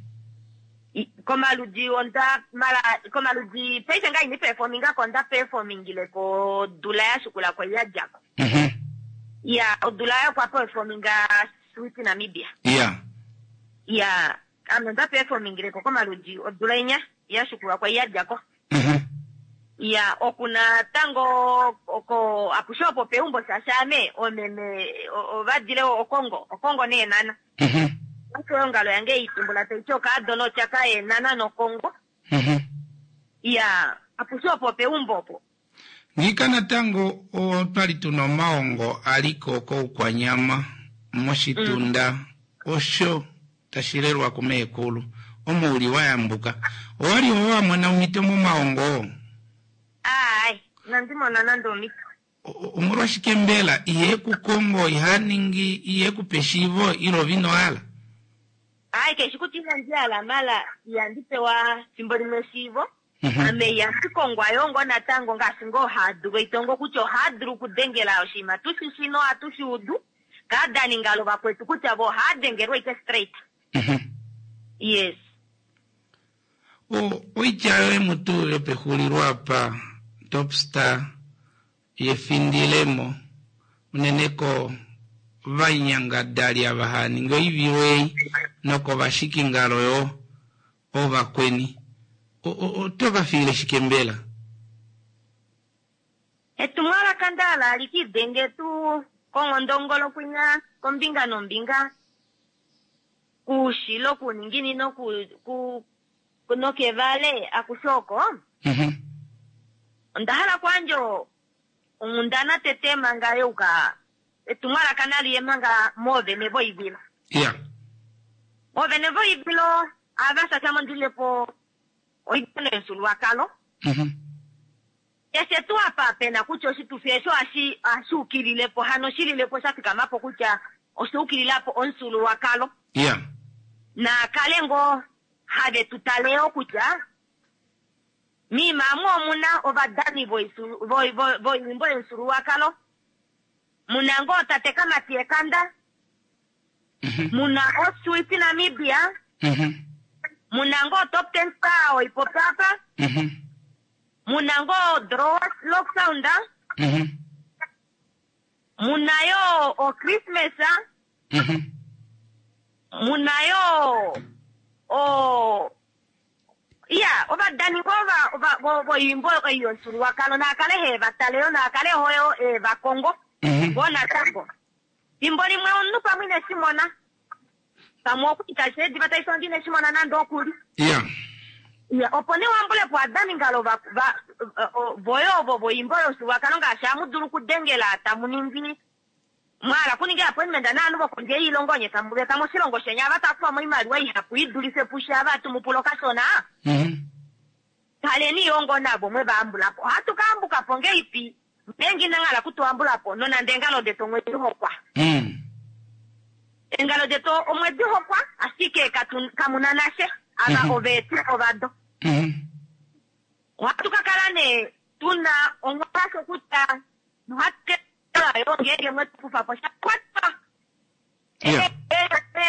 Komaludi onda mala komaludi paife nga ini performinga ko onda performingile ko dula ya shukula ko ya djako. Ya odula ya kwa performinga Sweet Namibia. Ya. Ya ame onda performingile ko komaludi odula inya ya shukula kwa ya djako. Ya okuna tango oko akushopo peumbo shashame omeme ovadile okongo okongo nee nana. Osho ongalo yange itumbula taichoka adono chaka e nana nokongo. Ya akushopo peumbo opo. Ngika natango otwali tuna omaongo aliko koukwanyama moshitunda osho tashilelwa kumeekulu omuuli wayambuka. Owali owamona omito momaongo? Ai, nandimona nande omito. Omolwashike mbela iye kukongo ihaningi iye kupeshivo ilo vino ala? Ai, keshi kuti inandi mala yandipewa fimbo limwe eshiivo. Ame yansikongwa yongo natango ngaashi ngoo haadulu itongo kutya ohaadulu okudengela oshinima tushi shino atushi udu kaadaningalo vakwetu kutya vo ohaadengelwa ike straight. Yes. O oitya yoye mutu yopexulilo apa Topstar yefindilemo unene ko vanyangadali ava haaningi oivilo ei nokovashikingalo yo ovakweni oto vafiile shike mbela? Etumwalaka ndala likidenge tu kongondongolo kwinya kombinga nombinga kushilo kuninginino ku ku nokevale akushoko. Onda hala kwandjo onghundana tete manga yeuka Etumwalaka nali ye manga moovene voivilo. Ya. Oovene voivilo ava shasha mondilepo oidano yomufyuululwakalo. Mhm. Keshe tuu apa pena kutya oshitufi esho ohashi ohashi ukililepo hano shililepo sha fikamapo kutya osha ukililapo omufyuululwakalo. Ya. Naakale ngoo have tu taleyo kutya miima amu omuna ovadani voisu- voi- voi- voiimbo yomufyuululwakalo. Muna ngoo tate Kamati Ekanda. Mhm. Muna Oswiti Namibia. Mhm. Muna ngoo Top Ten Star oipopapa. Mhm. Muna ngoo Draw Lock Sound. Mhm. Muna yo o Christmas. Mhm. Muna yo o iya ovadani ngoo va- va- vo- voimbo yomufyuululwakalo naakale hevataleyo naakale hoyo evakongo. Mhm. Ngoo natango fimbo limwe omunhu pamwe ineshimona pamwe okuita sheediva taisongi ineshimona nande okuli. Ya. Ya, opo nee wambulepo adaningalo va, va, o- voye ovo voimbo yomufyuululwakalo ngaashi amu dulu okudengela tamu ningi mwahala kuninga appointment naanhu vokondje yoilongo nye tamu veta moshilongo sheni ava takufa oimaliwa ihapu idulife pushe ava tumupula okashona. Mhm. Kaleni yo ngoo navo mwe vaambulapo. Ohatu kaambukapo ngeipi ngeenge inanghala kutuambulapo nonande eengalo detu omwedi hokwa. Mm. Eengalo detu omwedi hokwa ashike katu kamuna nashe ava Mhm. oveeti ovado. Mhm. Ohatu kakala nee tuna onghwasho kutya nohatu kala yo ngeenge mwetu kufapo shakwatwa. Ya.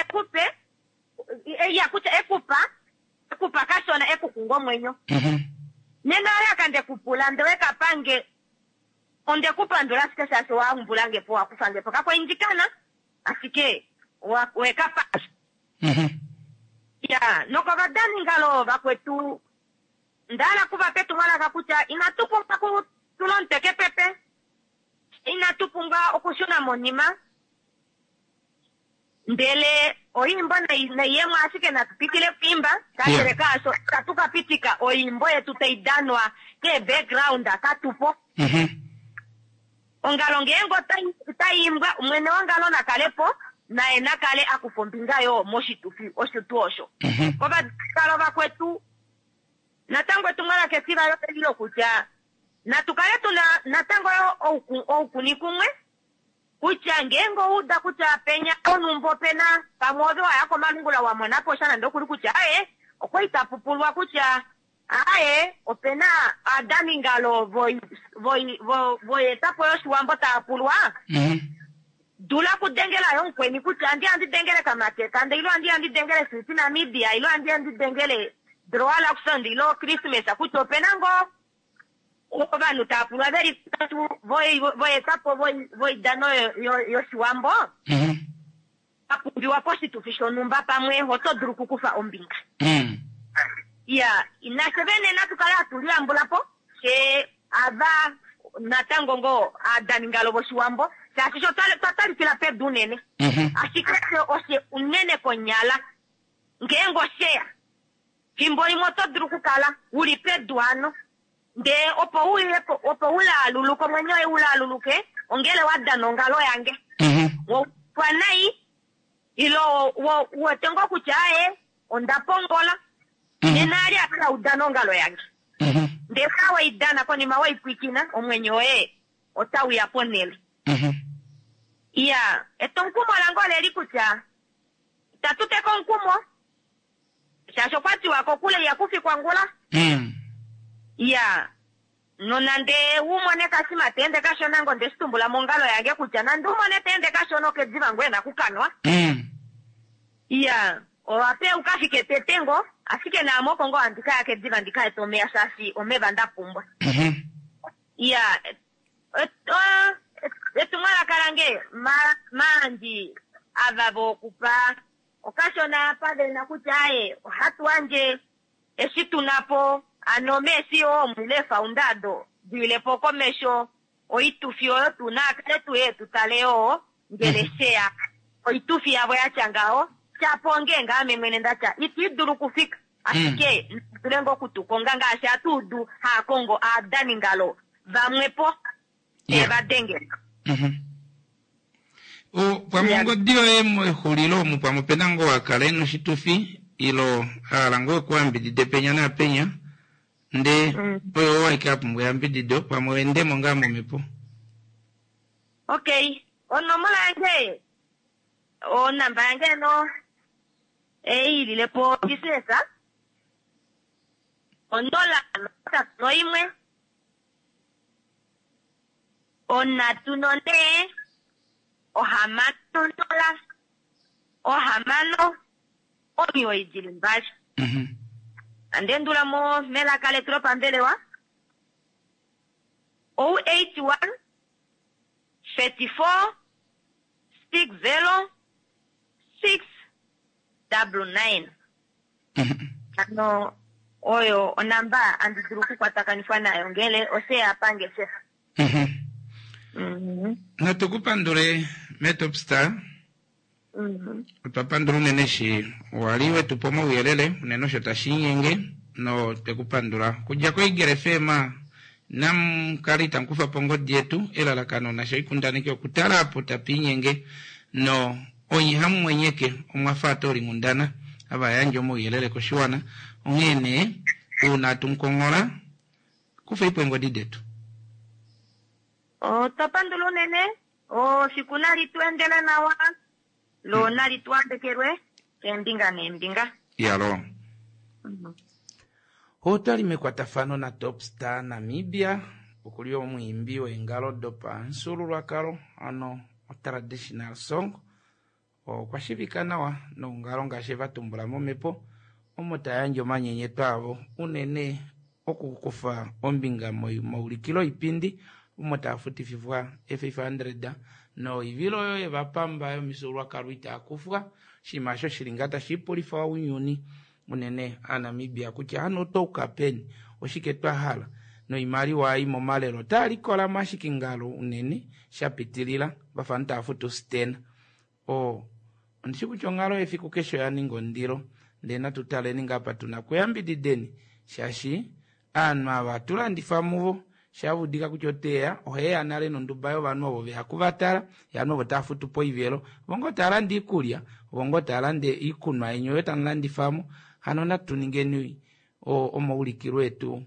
Ekupe ya kutya ekupa ekupa kashona ekukunga omwenyo. Mhm. Nena alaka ndekupula ndewe kapange ondekupandula ashike shaashi waumbulange po wakufange po kakwaindikana ashike wa- wekapa. Mhm. Ya nokovadaningalo vakwetu ndahala kuvape etumwalaka kutya inatu pumbwa kutula omutwe kepepe, inatu pumbwa okushuna monima, ndele oimbo nai- naiyemwe ashike natu pitile kuimba kakele Yeah. kaasho itatu kapitika oimbo yetu taidanwa ke background katupo. Mhm. Ongalo ngeenge otai- otaiimbwa mwene wongalo nakalepo naye nakale akufa ombinga yo moshitufi osho tuu osho. Mhm. Kovadalo vakwetu natango etumwalaka etiva lolilo kutya natu kale tuna natango yo ouku- oukuni kumwe kutya ngeenge ouda kutya penya onumbo pena pamwe ove waya komalungula wamonapo sha nande okuli kutya aye okwali tapupulwa kutya aye opena aadaningalo voi- voi- vo- voyetapo yoshiwambo taapulwa. Mhm. Dula kudengela yo mukweni kutya andi andi dengele Kamati Ekanda ilo andi andi dengele Switi Namibia ilo andi andi dengele Droa Luxon ilo Christmas kutya opena ngoo ovanhu taapulwa veli tatu voi- voyetapo voi- voidano yo- yo- yoshiwambo Mhm. apumbiwa poshitufi shonhumba pamwe oto dulu okukufa ombinga. Mm. Ya nafye vene natu kale hatu liyambulapo she ava natango ngoo aadaningalo voshiwambo shaashi sho twa twa talikila pedu unene. Mhm. Ashike fye oshe unene konyala ngeenge osheya fimbo limwe oto dulu okukala uli pedu hano ndee opo uyepo opo ulaaluluke omwenyo woye ulaaluluke ongele wadana ongalo yange. Mhm. Wopwa nai ilo wo- uwete ngoo kutya aye onda pongola. Mhm. Nena ali akala udana ongalo yange. Mhm. Ndee ka weidana konima weipwikina omwenyo woye otauya ponele. Mhm. Iya etomukumo lange oleli kutya itatu teka omukumo shaashi okwatiwa kokule ihakufikwa ngula. Mm. Iya nonande umone kashima teende kashona ngo ndeshitumbula mongalo yange kutya nande umone teende kashona okediva ngoye nakukanwa. Mm. Iya owape ukafike tete ngo ashike naame oko ngoo handi kaya kediva ndikaete omeya shaashi omeva ndapumbwa. Mhm. Iya et- o- etumwalaka lange ma- maandi ava vokupa okashona pavena kutya aye ohatu wandje eshi tunapo ano meesi oo mwile faundado diilepo komesho oitufi oyo tuna akale tuye tutale yoo ngele sheya oitufi yavo yatya ngaho shapo ngeenge ame mwene ndatya itiidulu okufika ashike dule ngoo okutukonga ngaashi atuudu haakongo aadaningalo vamwepo Yeah. evadengela. Mhm. O, pamwe ongodi yoye mexulilo omu pamwe opena ngoo akala ena oshitufi ilo ahala ngoo ekuyambidide penya naapenya ndee Mm. oyo waike apumbwa eyambidido pamwe wendemo ngaa momhepo. Okay, onomola yange onamba yange no eyililepo business onola notatu noimwe onhatu nonee ohamano nola ohamano omiwoi dili mbali. Mhm. Andendulamo melaka letu lopambelewa o eight one thirty four six zero six double nine. Mhm. Ano oyo onamba andi dulu okukwatakanifwa nayo ngele oseya pangeshefa. Mhm. Mhm. Natu kupandule Metopstar. Mhm. Otwa pandula unene eshi wali wetupa omauyelele unene osho tashiinyenge no twekupandula kudja koEagle F M namukale itamukufa po ongodi yetu elalakano nasho oikundaneki okutala apo tapiinyenge no onye hamumwenyeke omwafa atoolinghundana ava yandje omauyelele koshiwana onghee nee uuna tumukongola kufeipo eengodi detu. Otwa pandula unene ofiku nali tu endele nawa lo nali tu ambekelwe keembinga neembinga. Yalo. Otwali mekwatafano na Topstar Namibia okuli omwiimbi weengalo dopamufyuululwakalo ano traditional song okwa shivika nawa noungalo ngaashi vatumbula momhepo omo tayandje omanyenyeto avo unene okukufa ombinga maulikilo oipindi omo taafutififwa e five hundred noivilo oyo yevapamba yomifyuululwakalo itaakufwa oshinima osho shili ngaa tashiipulifa ounyuni unene aNamibia kutya hano otwauka peni oshike twahala noimaliwa ei momalelo otaalikola ashike ngalo unene shapitilila vafa taafutu stena o ondishi kutya onghalo yefiku keshe oya ninga ondilo ndee natu taleni ngaa apa tuna kuyambidideni shaashi aanhu ava tulandifa muvo shavudika kutya oteya oheya nale nonduba yovanhu ovo veya kuvatala yaanhu ovo taafutu poivelo vongo taalanda iikulya vongo taalanda iikunwa yenyu oyo tamulandifamo hano natu ningeni omaulikilo etu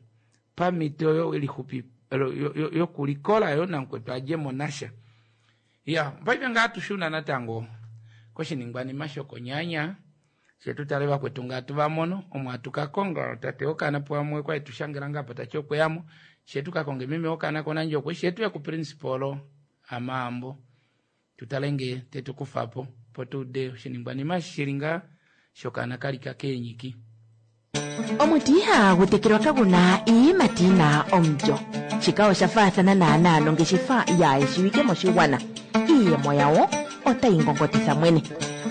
pamhito oyo lixupi yokulikola yo namukwetu adjemo nasha. Ya paife ngaa tushuna natango koshiningwanima shokonyanya shetu tale vakwetu ngaa tuvamono omo atukakonga tate wokana pamwe kwali tushangela ngaapo tati okweyamo shetu kakonge meme wokana konandjokwe shetu ku principal Amaambo tutale nge tetukufapo po tuude oshiningwanima shili ngaa shokana kalika keenyiki. Omuti ihagu tekelwa kaguna iiyimati yina omulyo. Shika osha faathana naanaa nongeshefa yaayeshiwike moshigwana. Iiyemo yawo otayi ngongotitha mwene.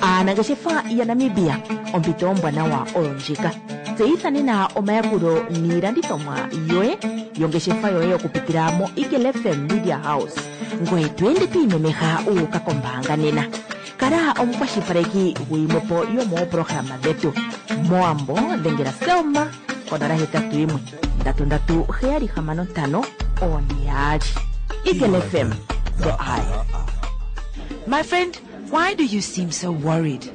Aanangeshefa yaNamibia ompito ombwanawa oyo ndjika. Tseyitha nena omayakulo niilandithomwa yoye yongeshefa yoye okupitila mo Eagle F M Media House. Ngoye to ende to imemeha u uka kombaanga nena. Kala omukwashilipaleki guyimwepo yomooprograma dhetu. Moambo dhengela Selma konola hetatu yimwe ndatu ndatu heyali hamano ntano one yaali. Eagle F M, the eye. My friend, why do you seem so worried?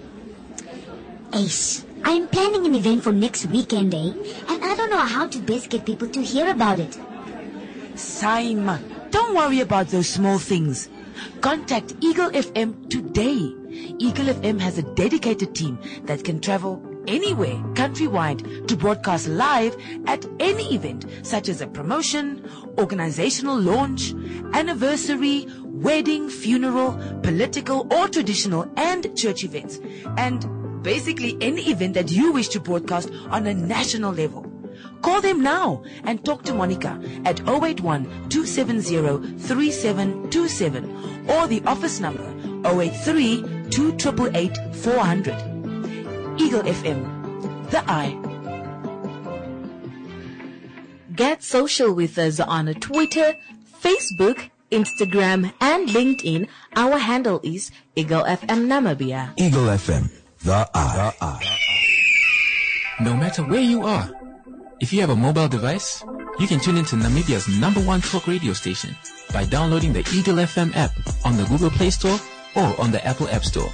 Ace, I'm planning an event for next weekend, eh? And I don't know how to best get people to hear about it. Saima, don't worry about those small things. Contact Eagle F M today. Eagle F M has a dedicated team that can travel anywhere countrywide to broadcast live at any event, such as a promotion, organizational launch, anniversary, wedding, funeral, political or traditional and church events, and basically any event that you wish to broadcast on a national level. Call them now and talk to Monica at oh eight one, two seven zero, three seven two seven or the office number oh eight three, two triple eight, four hundred. Eagle F M, the eye. Get social with us on Twitter, Facebook, Instagram, and LinkedIn. Our handle is Eagle F M Namibia. Eagle F M, the eye. The eye. No matter where you are, if you have a mobile device, you can tune into Namibia's number one talk radio station by downloading the Eagle F M app on the Google Play Store or on the Apple App Store.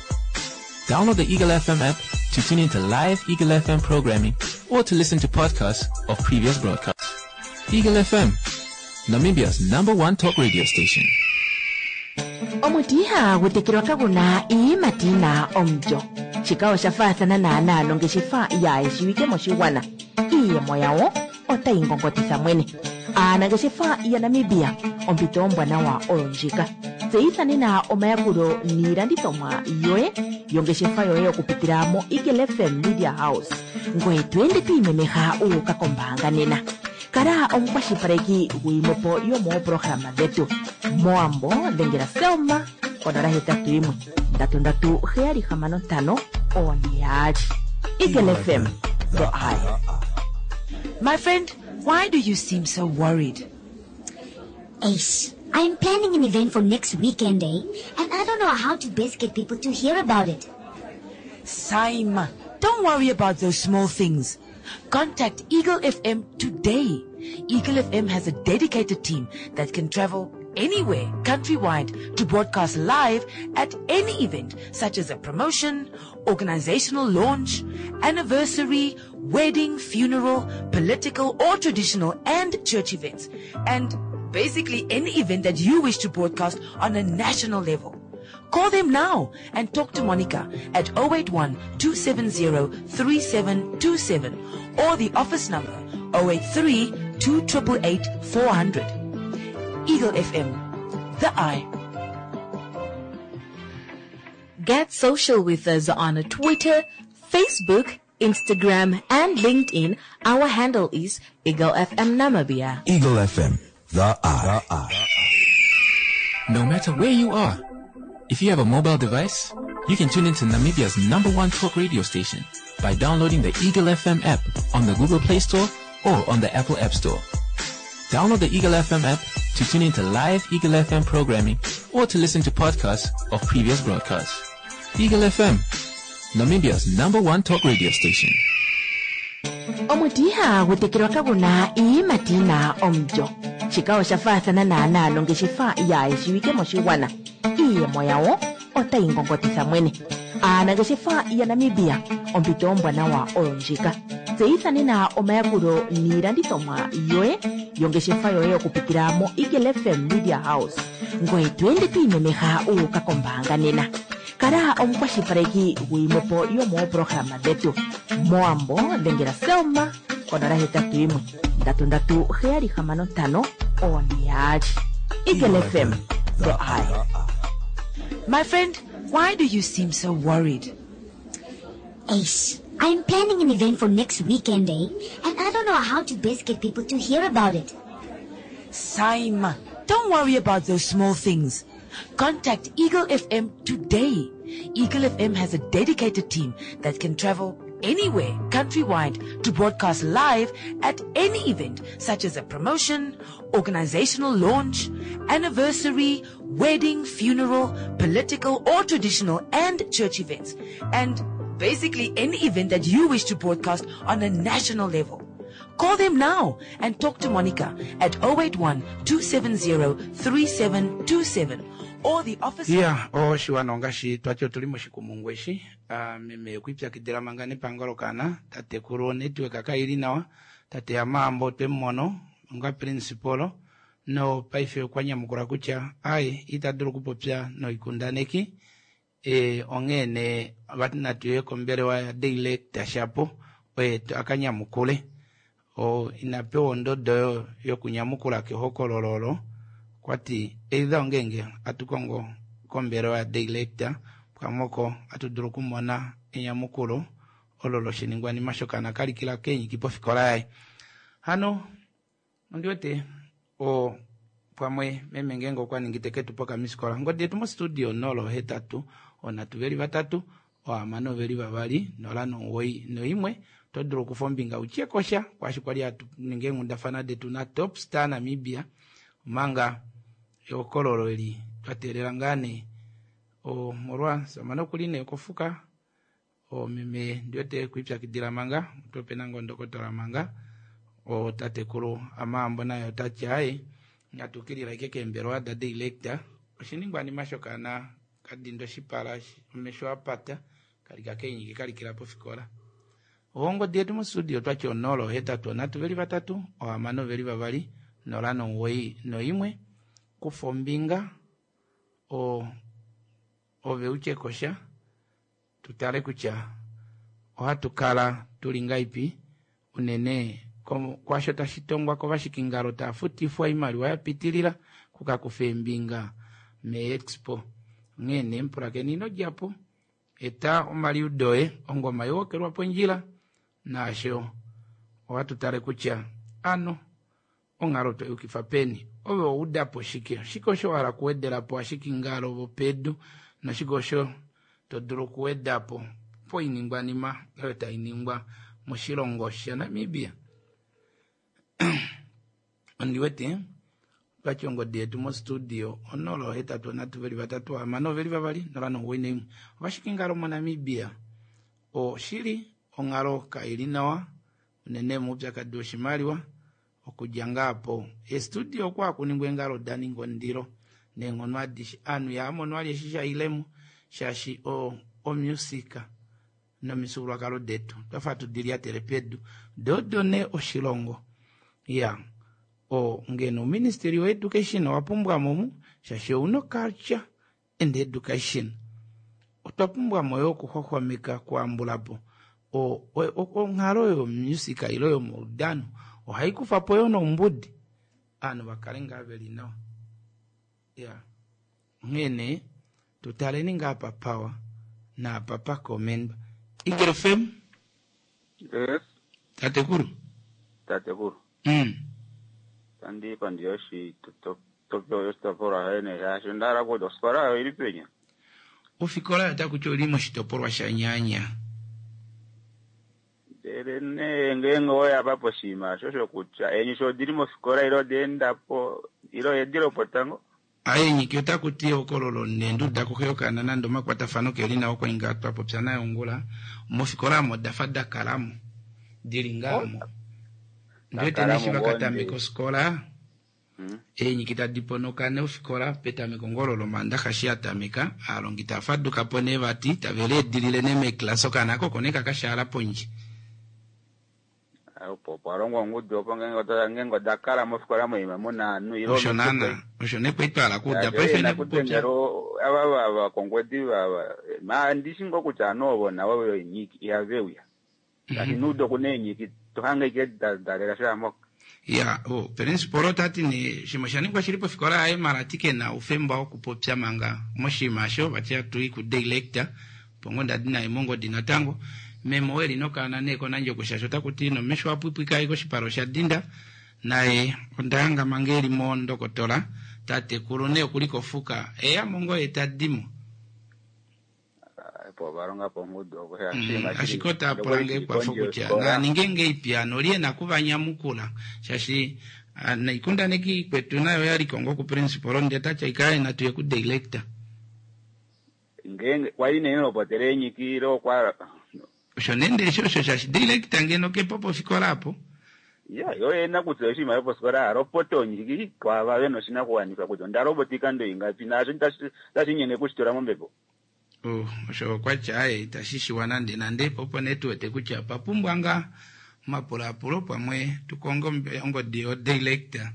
Download the Eagle F M app to tune into live Eagle F M programming or to listen to podcasts of previous broadcasts. Eagle F M, Namibia's number one talk radio station. Omuti ihagu tekelwa kaguna iiyimati yina omulyo. Shika osha faathana naanaa nongeshefa yaayeshiwike moshigwana. Iiyemo yawo otayi ngongotitha mwene. Aanangeshefa yaNamibia, ompito ombwanawa oyo ndjika. Tseyitha nena omayakulo niilandithomwa yoye yongeshefa yoye okupitila mo Eagle F M Media House. Ngoye to ende to imemeha u uka kombaanga nena. Kala omukwashilipaleki gwiimwepo yomooprograma dhetu. Moambo dhengela Selma konola hetatu yimwe ndatu ndatu heyali hamano ntano one yaali. Eagle F M, the eye. My friend, why do you seem so worried? Ace, I'm planning an event for next weekend, eh? And I don't know how to best get people to hear about it. Saima, don't worry about those small things. Contact Eagle F M today. Eagle F M has a dedicated team that can travel anywhere countrywide to broadcast live at any event such as a promotion, organizational launch, anniversary, wedding, funeral, political or traditional and church events, and basically any event that you wish to broadcast on a national level. Call them now and talk to Monica at oh eight one, two seven zero, three seven two seven or the office number oh eight three, two triple eight, four hundred. Eagle F M, the eye. Get social with us on Twitter, Facebook, Instagram, and LinkedIn. Our handle is Eagle F M Namibia. Eagle F M, the eye. The eye. No matter where you are, if you have a mobile device, you can tune into Namibia's number one talk radio station by downloading the Eagle F M app on the Google Play Store or on the Apple App Store. Download the Eagle F M app to tune into live Eagle F M programming or to listen to podcasts of previous broadcasts. Eagle F M, Namibia's number one talk radio station. Omuti ihagu tekelwa kaguna iiyimati yina omulyo. Shika osha faathana naanaa nongeshefa yaayeshiwike moshigwana. Iiyemo yawo otayi ngongotitha mwene. Aanangeshefa yaNamibia, ompito ombwanawa oyo ndjika. Tseyitha nena omayakulo niilandithomwa yoye yongeshefa yoye okupitila mo Eagle F M Media House. Ngoye to ende to imemeha u uka kombaanga nena. Kala omukwashilipaleki gwiimwepo yomooprograma dhetu. Moambo dhengela Selma konola hetatu yimwe ndatu ndatu heyali hamano ntano one yaali. Eagle F M, the eye. My friend, why do you seem so worried? Ace, I'm planning an event for next weekend, eh? And I don't know how to best get people to hear about it. Saima, don't worry about those small things. Contact Eagle F M today. Eagle F M has a dedicated team that can travel anywhere countrywide to broadcast live at any event such as a promotion, organizational launch, anniversary, wedding, funeral, political or traditional and church events, and basically any event that you wish to broadcast on a national level. Call them now and talk to Monica at oh eight one, two seven zero, three seven two seven or the office. Yeah, oshiwana ongaashi twati otuli moshikumungu eshi. Ah, meme okwipyakidhila manga nepangelo kana tatekulu network kaili nawa tate Amaambo twemumono onga principal no paife okwa nyamukula kutya ai ita dulu okupopya noikundaneki e, onghee vati natuye kombelewa ya director shapo oye akanyamukule o inapewa ondodo yo yokunyamukula kehokololo olo kwati either ongenge atukongo kombelewa ya director pamoko atudulu okumona enyamukulo olo loshiningwanima shokana kalikila kenyiki pofikola yaye. Hano ondiwete o pamwe meme ngenge okwa ningi teke tu poka misikola ngodi yetu mo studio nolo hetatu onatu veli vatatu ohamano veli vavali nola nomuwoi noimwe to dulu okufa ombinga utyekosha kwashi kwali atu ninge eenghundafana detu na Top Star Namibia omanga ehokololo eli twa teelela ngaa nee omolwa samana okuli nee kofuka omeme ndiwete kwipyakidila manga otopena ngoo ndokotola manga otatekulu Amaambo naye otati aye natukilila ike keembelewa da director oshiningwanima shokana Kadinda oshipala omesho apata kalika keenyiki kalikila pofikola. Ongodi yetu mostudio twati onola ohetatu onhatu veli vatatu ohamano veli vavali nola nomuwoi noimwe. Kufa ombinga o ove utye kosha tutale kutya ohatu kala tuli ngaipi unene kwasho tashi tongwa kovashikingalo taafutifwa oimaliwa yapitilila kukakufa eembinga meexpo. Onghee nee mupulakeni ino djapo eta omaliudo oye ongoma iwokelwa pondjila naasho ohatu tale kutya ano onghalo toyukifa peni ove oudapo shike shike osho wahala okuwedelapo ashikingalo vopedu noshike osho todulu okuwedapo poiningwanima oyo tainingwa moshilongo shaNamibia. Ondiwete twati ongodi yetu mostudio onola ohetatu onhatu veli vatatu hamano veli vavali nola nomuwoi noimwe. Ovashikingalo moNamibia oshili onghalo kaili nawa unene moupyakadi woshimaliwa okudja ngaapo estudio okwa hakuningwa eengalo daninga ondilo neenghono adishe ovanhu ihaamono vali eshi shailemo shaashi omusika nomifyuululwakalo detu twafa hatu dilyatele pedu doodo nee oshilongo ya o ngeno ouministry wo education owapumbwamo omu shaashi ouna culture and education otwa pumbwamo yoo okuxwaxwameka okuhambulapo onghalo yomusika ile yomaudano ohaikufapo yoo noumbudi ovanhu vakale ngaa veli nawa ya onghee nee tutaleni ngaa apa pawa naapa pakomendwa. Eagle F M Yes. Tatekulu. Tatekulu. Mm. Tandi pandi yoshitopolwa shaye shaashi onda hala kutya ofikola oyo ili penya. Ofikola otakuti oli moshitopolwa shaNyaanya. Ndele nee ngeenge oya pa poshinima osho shokutya eenyiki odili mofikola ile oda endapo ile oyedi lopotango. Eenyiki otakuti ehokololo neenduda koxe yokaana nande omakwatafano keli nawa okwa inga twapopya naye ongula mofikola omo odafa dakalamo dili ngaamo ndiwete neshi vakatameka ofikola eenyiki tadi ponoka nee ofikola petameko ngoo lomandaxa shi yatameka aalongi taafadukapo nee vati tave leedilile nee meeclass okaana oko oko nee kakashaala pondje. Opo opwa longwa ongudu opo ngeenge oda kala mofikola moima muna ovanhu ile osho naana osho nee kwali twahala okuuda paife nekupopya ava vakongwedi ma ndishi ngoo kutya ovanhu ovo navo veenyiki ihave uya shaashi nuudo okuna eenyiki tohange ike dalela shaampoka. Ya o principal otati nee shimwe oshaningwa shili pofikola yaye mala ati kena oufemba wokupopya manga moshinima osho vati atui ku director opo ngoo ndadi naye mongodi natango meme oo eli nokaana nee kOnandjokwe shaashi otakuti nomesho apwipwika ashike oshipala osha dinda naye ondahanga manga eli mondokotola tatekulu nee okuli kofuka eyamo ngoo ye tadimo. Opo ovalonga po ongudu opo ashike otapula nge ekwafo kutya naninge ngeipi ano oli ena okuvanyamukula shaashi noikundaneki kwetu nayo oyali kongo ku principal ndee tati aika natuye ku director. Ngeenge kwali nee lopotela eenyiki ile okwa osho nende eshi osho shaashi director ngeno kepo pofikola apo. Ya yo ena kutya oshinima yopofikola alopota onyiki kwaava vena oshinakuwanifwa kutya onda lopota oikando ingapi naasho otashi kushitula mombepo. Oh, osho okwatya aye itashi shiwa nande nande opo nee tuwete kutya otwa pumbwa ngaa omapulaapulo pamwe tukonge ongodi yo director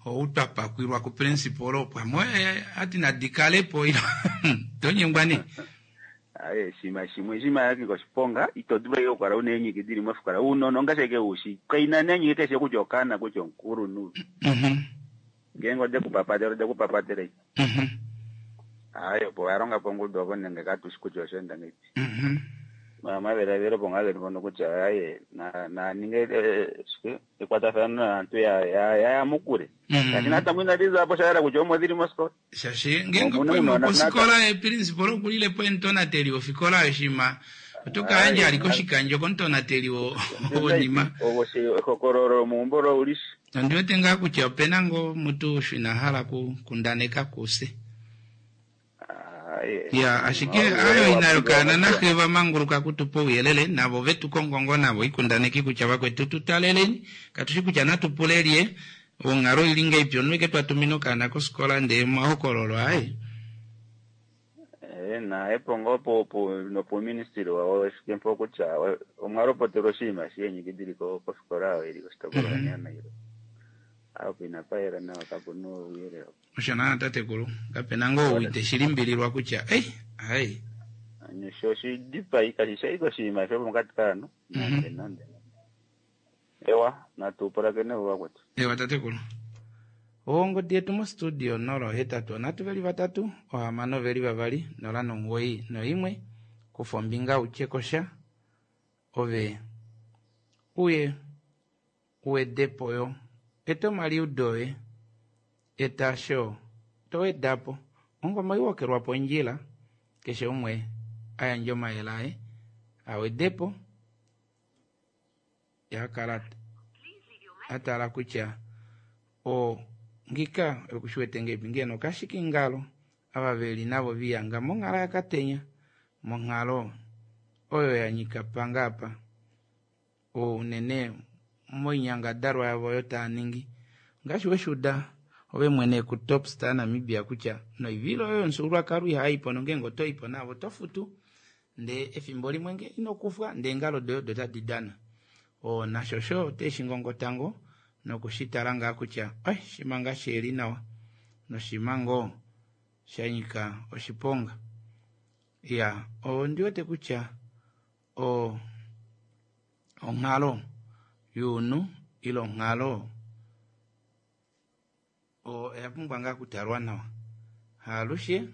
ou twapakwilwa ku principal pamwe ati nadikalepo tonyengwa nee. Aye shima shimwe shima yaki koshiponga ito dulu ashike okukala una eenyiki dili mofikola uunona ongaashi ashike ushi kaina neenyiki keshe kutya okaana kutya omukulunhu ngeenge ode kupapatela ode kupapatela aye opo valonga po ongudu opo nenge katushi kutya osha enda ngeipi omadhiladhilo opo ngaa geli mpono kutya aye naninge shike ekwatathano naantu ya yamukule shaashi natango inadi zapo sha yela kutya omo dhili mosikola. Shaashi ngeenge okwaima kofikola yeprincipal okulilepo omutonateli wofikola yoshima oto kayandja ali koshikandjo komutonateli wonima. Ehokololo lomeumbo loulishi. Ondiwete ngaa kutya opena ngoo mutu osho ina hala okukundaneka kufye. Ya ashike ayo ina yokaana naxe vamanguluka kutupa ouyelele navo vetu kongo navo oikundaneki kutya vakwetu tutaleleni katushi kutya natupule lye onghalo ili ngeipi omunhu eke twatumina okaana kofikola ndee omahokololo aye. Na epo ngoo po- po- nopuuministili wawo efike mpo kutya o- omwa lopotelwa oshinima sheenyiki dili ko- kofikola oyo ili koshitopolwa Mhm. shaNailo. Apo inapa yela nawa kapu na ouyelele. Osho naana tatekulu kapena ngoo ou ite shilimbililwa kutya ei ai Ano sho oshidipai kashi shi ashike oshinima shomokati kaanhu nande nande. Ewa, natu pulakene vakwetu. Ewa tatekulu ongodi yetu mostudio nolo hetatu onhatu veli vatatu ohamano veli vavali nola nomuwoi noimwe kufa ombinga utye kosha ove uye uwedepo yo eta omaliudo oye eta sho towedapo ongoma iwokelwa pondjila keshe umwe ayandje omayele aye awedepo yakala atala kutya o ngika okushiwete ngepi ngeno kashikingalo ava veli navo viyanga monghalo yakatenya monghalo oyo yanyika panga apa unene moinyangadalwa yavo oyo taa ningi ngaashi weshuda ove mwene ku Top Star Namibia kutya noivilo oyo yomufyuululwakalo ihaipo nongenge otoipo navo oto futu ndee efimbo limwe nge inokufwa ndee eengalo doye odo tadi dana o nasho sho oteshingongotango nokushitala ngaa kutya ai shima ngaa sheli nawa noshima ngoo shanyika oshiponga ya ondi wete kutya o onghalo yuunhu ile onghalo oya pumbwa ngaa okutalwa nawa haalushe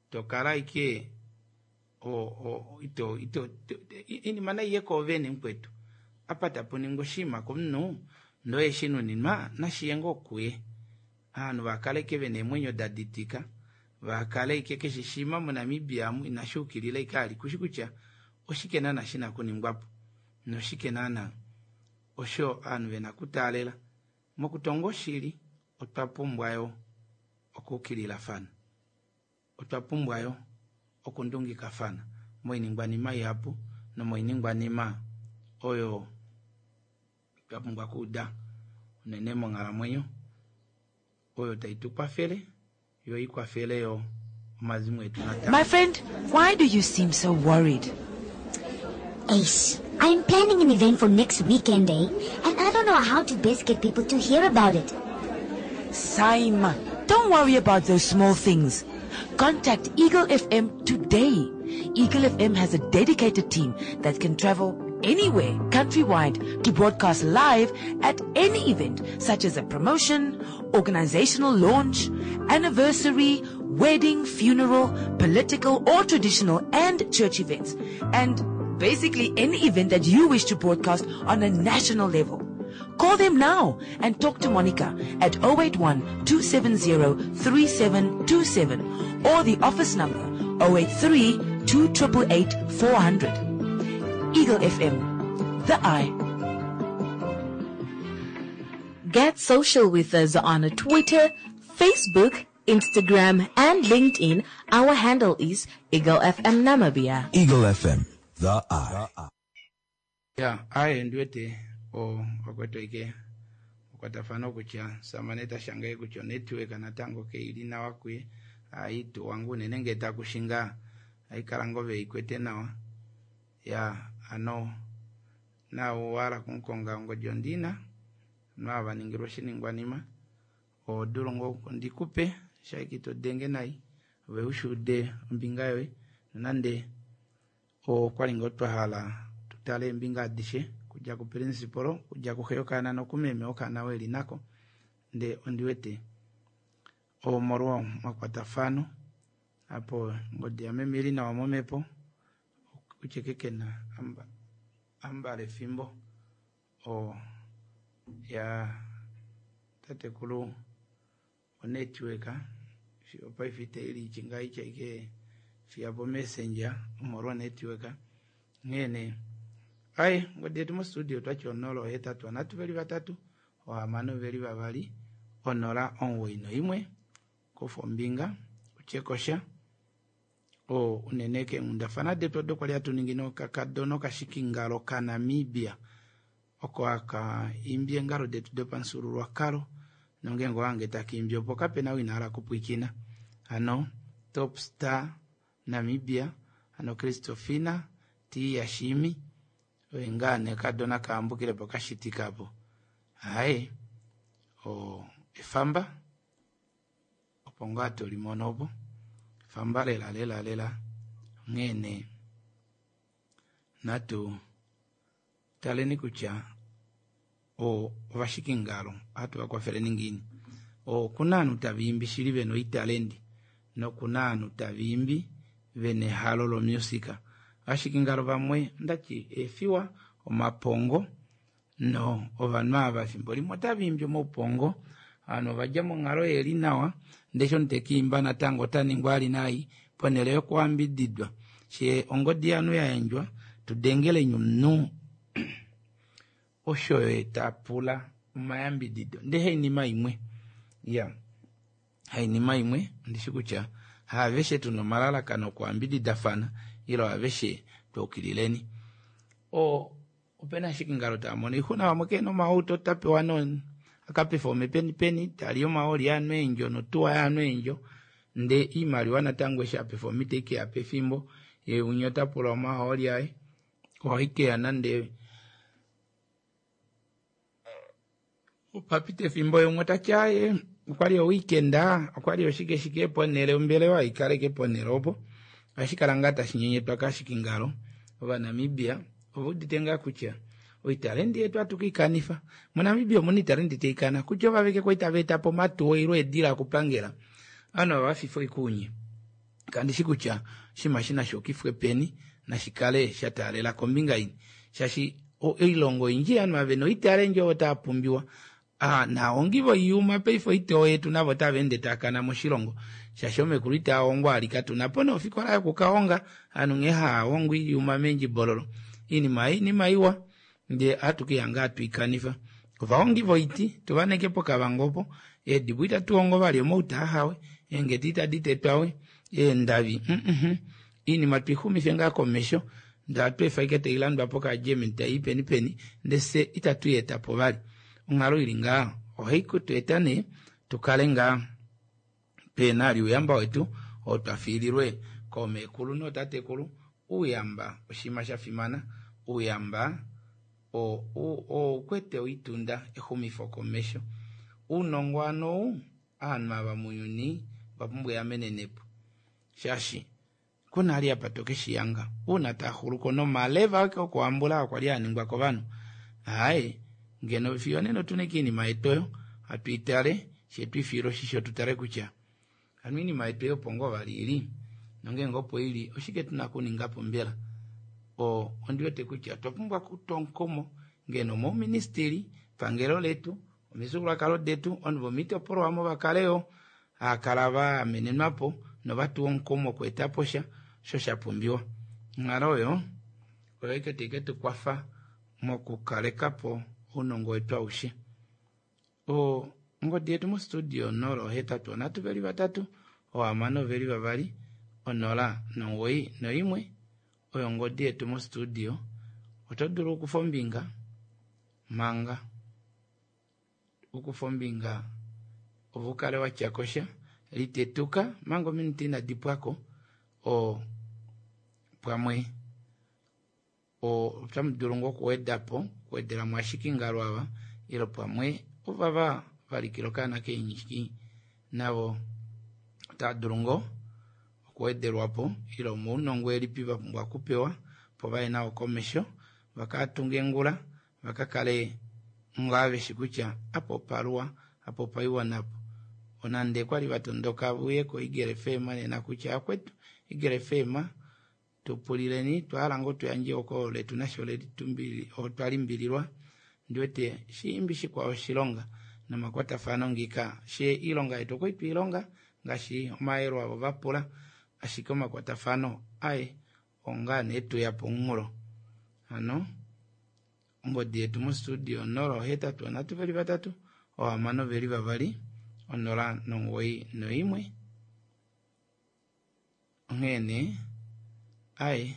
tokala ike o, o, ito, ito, inima naiye koovene mukwetu apa tapu ningwa oshinima komunhu ndoye shinuninwa nashiye ngoo kuye ovanhu vakaleke vena eemwenyo daditika vakale ike keshe shima moNamibia amu inashi ukilila ike ali kushi kutya oshike naana shina kuningwapo noshike naana osho ovanhu vena kutaalela mokutonga oshili otwa pumbwa yo okuukililafana otwa pumbwa yo okundungikafana moiningwanima ihapu nomoiningwanima oyo twa pumbwa okuuda unene monghalamwenyo oyo tai tu kwafele yo ikwafele yo omazimo etu natango. My friend, why do you seem so worried? Ace, I'm planning an event for next weekend, eh? And I don't know how to best get people to hear about it. Saima, don't worry about those small things. Contact Eagle F M today. Eagle F M has a dedicated team that can travel anywhere countrywide to broadcast live at any event such as a promotion, organizational launch, anniversary, wedding, funeral, political or traditional and church events. And basically any event that you wish to broadcast on a national level. Call them now and talk to Monica at oh eight one two seven zero three seven two seven or the office number oh eight three two eight eight four hundred. Eagle F M, the eye. Get social with us on Twitter, Facebook, Instagram, and LinkedIn. Our handle is Eagle F M Namibia. Eagle F M, the eye. Ya aye ndiwete o wakwetu ike okwatafana kutya samane tashangaye kutya onetwork natango keili nawa kuye aitu wangu unene ngee takushinga aikala ngoo veikwete nawa ya ano nawo wala kunkonga ongodi ondina no vaningilwa oshiningwanima odulu ngoo ndikupe shaiki todenge nai ove ushuude ombinga yoye nonande okwali ngoo twahala tutale eembinga adishe kudja ku principal kudja kuxe yokaana nokumeme okaana weli nako nde ondiwete omolwa omakwatafano apo ngodi yameme ili nawa momepo kutye kekena amba, ambala efimbo o ya tatekulu onetwork paife itaili ngaitya ike fiya po messenger omolwa network nghene ai ngodi yetu mostudio twatya onola ohetatu onhatu veli vatatu ohamano veli vavali onola omuwoi noimwe kufa ombinga utyekosha o unene keenghundafana detu odo kwali hatu ningi nokakadona okashikingalo kaNamibia oko aka imbi eengalo detu dopamufyuululwakalo nongenge owange takiimbi opo kapena ou ina hala kupwikina hano Top Star Namibia hano Kristofina T Yashimi oye ngaa nee kadona kaambukile po kashitika po haye o efamba opo ngaa tolimono opo efamba lela lela lela onghee nee natu taleni kutya ovashikingalo ohatu vakwafeleni ngiini. Okuna ovanhu tavaimbi shili vena oitalendi nokuna ovanhu tavaimbi vena ehalo lomusika. Ovashikingalo vamwe ondati eefiwa omapongo no ovanhu ava efimbo limwe otavaimbi omaupongo ovanhu ovadja monghalo yeli nawa ndee eshi omunhu tekiimba natango otaningwa ali nai ponele yokuyambididwa shee ongodi yanu yayandjwa tudengeleni omunhu osho ye tapula omayambidido ndee hainima imwe iya hainima imwe ondishi kutya haaveshe tuna omalalakano okuyambididafana ile aveshe twaukilileni. O opena ashikingalo taamono oixuna vamwe kena omauto tapewa no akapefome peni peni tali omaoli yaanhu eendjo notuwa yaanhu eendjo ndee iimaliwa natango eshi apefoma iteikeya pefimbo ye umwe otapula omahooli aye ohaikeya nande opapita efimbo ye umwe otati aaye okwali oweekend okwali oshike shike ponele ombelewa ikaleke ponele opo ohashi kala ngaa tashi nyenyetwa kashikingalo ovanamibia oveudite ngaa kutya oitalendi yetu ohatu keikanifa monamibia omuna oitalendi taikana kutya ovaveke kwali tava etapo omatuwa ile eedila okupangela ovanhu ava vafifa oikuunye kandishi kutya oshinima eshi nashuukifwe peni nashikale shataalela kombinga ini shaashi oilongo oyindji ovanhu ava vena oitalendi ovo tava pumbiwa naahongi voiyuma paife oitoo yetu navo otava ende taakana moshilongo shaashi omekulu itaahongwa ali katuna po nofikola yokukahonga ovanhu nghee haahongo oiyuma meendjibololo oinima ei oinima iwa ndee ohatu keihanga hatuikanifa. Ovahongi voiti tuvaneke pokavango opo eedibo itatuhongo vali omauta ahawe eengedi itadi tetwawe eendavi mm oinima tuixumife ngaa komesho ndee hatu efa ashike tailandwapo kaagermany taii peni peni ndee fye itatu yeetapo vali. Onghalo ili ngaa ohai kutu eta nee tukale ngaa pena ali ouyamba wetu oo twafiililwe koomekulu nootatekulu. Ouyamba oshinima shafimana, ouyamba oukwete oitunda exumifo komesho. Ounongo hano ou ovanhu ava mounyuni ovapumbwa eamenenepo shaashi kuna ali apa tokeshiyanga uuna taaxuluko nomaleva ake okuhambula okwali aningwa kovanhu aaye ngeno fiyo nena otuna ashike oinima yetu oyo hatu itale shee twiifiile oshisho tutale kutya hano oinima yetu oyo opo ngoo vali ili nongeenge opo ili oshike tuna okuningapo mbela. Ondiwete kutya otwa pumbwa okutwa omukumo ngeno omouministili pangelo letu omifyuululwakalo detu ovanhu vomoitopolwa omo vakale yoo haakala vaamenenwapo novatuwa omukumo okweetapo sha osho shapumbiwa. Onghalo oyo oyo ashike tai ketukwafa mokukalekapo ounongo wetu aushe. Ongodi yetu mostudio onola ohetatu onhatu veli vatatu ohamano veli vavali onola nomugoyi noimwe oyo ongodi yetu mostudio. Oto dulu okukufa ombinga manga ukufa ombinga ove ukale watyakosha litetuka manga ominute inadi pwako o pamwe otamu dulu ngoo okuwedapo okuwedelamo ashikingalo ava ile pamwe ovava valikila okaana keenyiki navo otava dulu ngoo okuwedelwapo ile omaunongo elipi vapumbwa okupewa opo vaye nao komesho vakatunge ngula vakakale ngaa veshi kutya apa opaluwa apa opaiwa napo. Onande kwali vatondoka veuye ko Eagle F M nena kutya akwetu Eagle F M tupulileni twahala ngoo tuyandje oko letu nasho otwa limbililwa ndiwete shiimbi shikwao oshilonga nomakwatafano ngika she iilonga yetu okwali twiilonga ngaashi omayelo avo vapula ashike omakwatafano aye ongaa nee tuya pomunghulo. Hano ongodi yetu mostudio onola ohetatu onhatu veli vatatu ohamano veli vavali onola nomugoyi noimwe. Onghee nee aye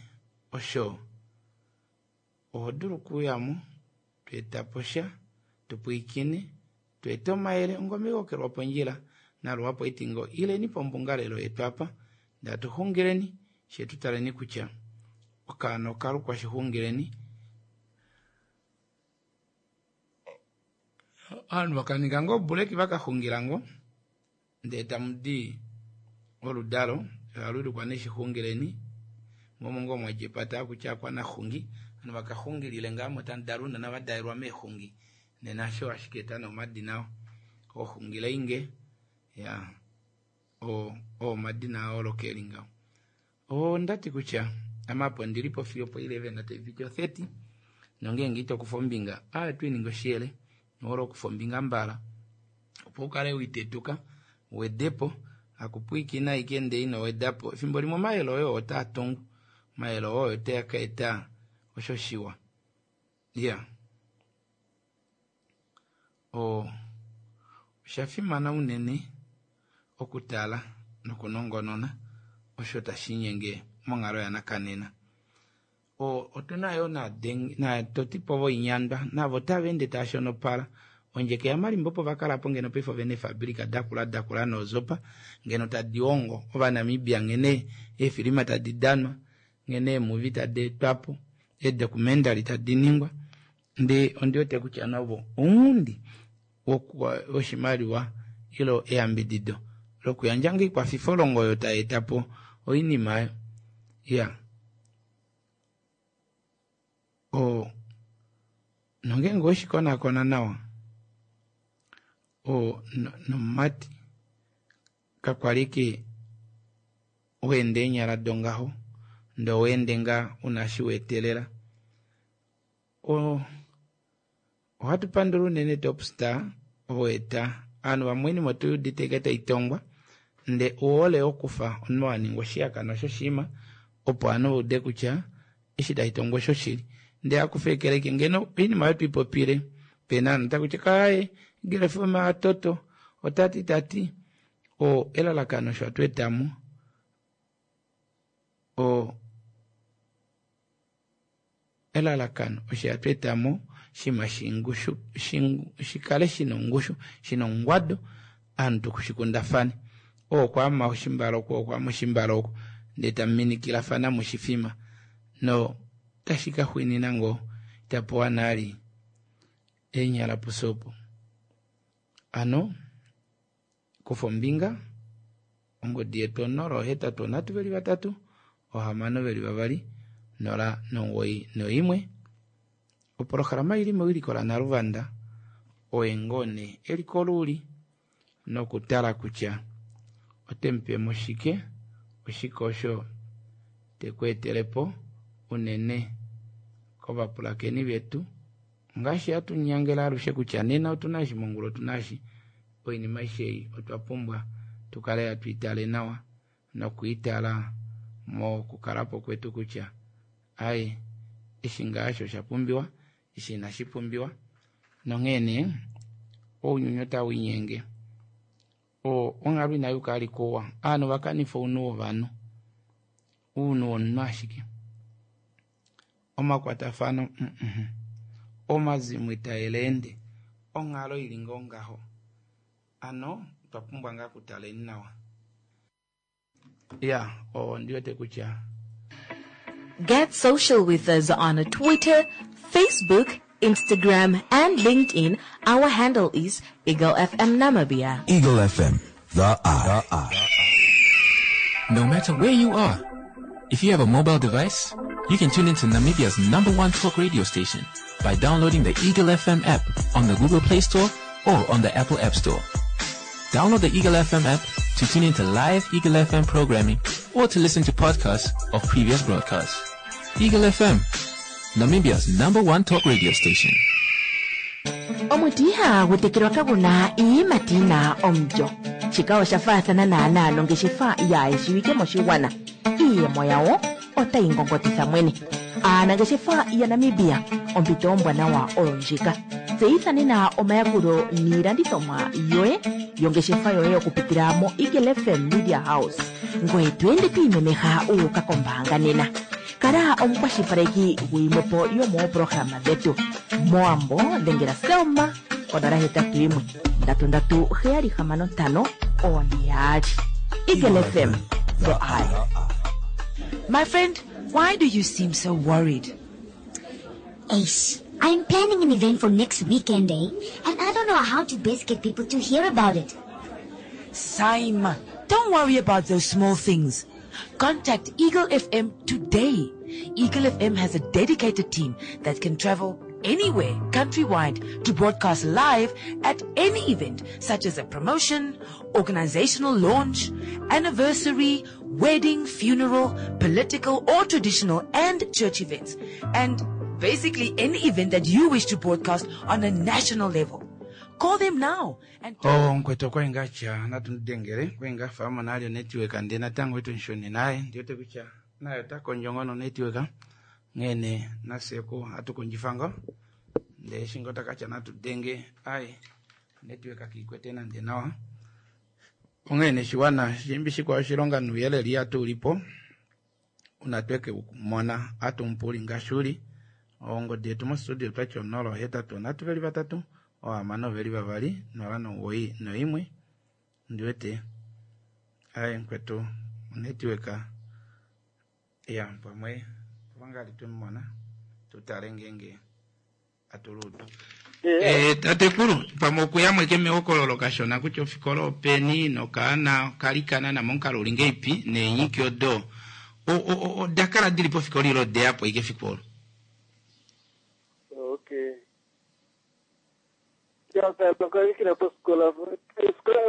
osho oho dulu okuyamo tweetapo sha tupwiikine tweete omayele ongoma ikokelwa pondjila naluhapu oitingo ileni pombungalelo yetu apa ndee atuxungileni Shetu taleni kutya okaana okalukwa Shixungileni. Ovanhu vakaninga ngoo obuleki vakaxungila ngoo ndee tamudi oludalo halulukwa nee Shixungileni momo ngoo mwadja kutya akwanaxungi ovanhu vakaxungilile ngaa mo tamudala ounona vadalelwa meexungi nena osho ashike eta nee omadina oo oxungileinge ya oo omadina ayooloka eli ngaho. Ondati kutya ame apo ndilipo fiyo po eleven taipiti o thirty nongeenge itokufa ombinga aa twiininga oshiyele nohole okufa ombinga mbala opo ukale witetuka uwedepo akupwiikina ashike ndee ino wedapo efimbo limwe omayele oyo otaa tungu omayele oyo otaa ka eta osho shiwa iya o oshafimana unene okutala nokunongonona osho tashiinyenge monghalo yanakanena. O otuna yoo naatotipo voinyandwa navo tava ende tava shonopala ondjeke yamalimba opo vakalapo ngeno paife ovena eefabilika dakula dakula noozopa ngeno tadi hongo ovanamibia nghene eefilima tadi danwa nghene eemuvi tadi etwapo eedocumentary tadi ningwa ndee ondiwete kutya navo ounghundi woshimaliwa ile eyambidido lokuyandja ngoo oikwafifolongo oyo tayeetapo oinima oyo iya o nongeenge oweshikonakona nawa o nomumati kakwali ike weenda eenyala dongaho ndee oweende ngaa una eshi weetelela. O ohatu pandula unene Top Star oweeta ovanhu vamwe oinima otuyuudite ashike taitongwa ndee ohole okufa omunhu waningwa oshihakanwa shoshinima opo ovanhu vaude kutya eshi tashitongwa oshoshili ndee hakufekela ashike ngeno oinima oyo twiipopile pena ovanhu otakutya kaaye Eagle F M atoto otati tati o elalakano osho atweetamo o elalakano osho atweetamo shima shingushu shikale shina ongushu shina ongwado ovanhu tushikundafane oo okwaama oshimbale oku okwaama oshimbale oku ndee tamuminikilafana moshifima no tashi kaxwinina ngoo itapewa nali eenyala pusopo. Ano kufa ombinga ongodi yetu onola ohetatu onhatu veli vatatu ohamano veli vavali nola nomugoyi noimwe. Oprograma ili mewiliko laNaluvanda oye ngoo nee eliko luuli nokutala kutya otemupemo shike oshike osho tekweetelepo unene kovapulakeni vetu ngaashi hatu nyangela alushe kutya nena otuna eshi mongula otuna eshi oinima aishe ei otwa pumbwa tukale hatu itale nawa nokwiitala mokukalapo kwetu kutya aye eshi ngaa osha pumbiwa eshi inashi pumbiwa nonghee nee ounyuni otawiinyenge o onghalo inayuka ali kuwa ovanhu vakanifa ounhu wovanhu ounhu womunhu ashike omakwatafano mm omazimo itaeleende onghalo ili ngoo ngaho ano otwa pumbwa ngaa okutaleni nawa ya ondiwete kutya Get social with us on Twitter, Facebook, Instagram, and LinkedIn. Our handle is Eagle F M Namibia. Eagle F M, the eye. The eye. No matter where you are, if you have a mobile device, you can tune into Namibia's number one talk radio station by downloading the Eagle F M app on the Google Play Store or on the Apple App Store. Download the Eagle F M app to tune into live Eagle F M programming or to listen to podcasts of previous broadcasts. Eagle F M, Namibia's number one talk radio station. Omuti ihagu tekelwa kaguna iiyimati yina omulyo. Shika osha faathana naanaa nongeshefa yaayeshiwike moshigwana. Iiyemo yawo otayi ngongotitha mwene. Aanangeshefa yaNamibia, ompito ombwanawa oyo ndjika. Tseyitha nena omayakulo niilandithomwa yoye yongeshefa yoye okupitila mo Eagle F M Media House. Ngoye to ende to imemeha u uka kombaanga nena. Kala omukwashilipaleki guyimwepo yomooprograma dhetu. Moambo dhengela Selma konola hetatu yimwe ndatu ndatu heyali hamano ntano one yaali. Eagle F M, the eye. My friend, why do you seem so worried? Ace, I'm planning an event for next weekend, eh? And I don't know how to best get people to hear about it. Saima, don't worry about those small things. Contact Eagle F M today. Eagle F M has a dedicated team that can travel anywhere countrywide to broadcast live at any event such as a promotion, organizational launch, anniversary, wedding, funeral, political or traditional and church events, and basically any event that you wish to broadcast on a national level. Call them now. And Oh, nkweto kwainga cha natundengere kwainga fama nalyo network ande natango ito nshoni naye ndiyote kucha nayo takonjongono network ngene naseko atukonjifanga nde shingo takacha natudenge ai network akikwete nande nawa ongene shiwana shimbi shikwa shilonga nuyeleli atulipo unatweke mona atumpuli ngashuli ongodi yetu mostudio twacho nolo hetatu natu veli vatatu ohamano veli vavali nola nowoi noimwe ndiwete ai nkwetu network ya pamwe vangali tumona tutale ngenge atuludu eh tatekulu pamwe okuyamweke mehokololo kashona kutya ofikolo openi nokaana kalikana namonkalo uli ngeipi neenyiki odo odakala dili pofikolo ilo odeyapo ike fikolo. Okay. Ya, kalikila poskola. Skola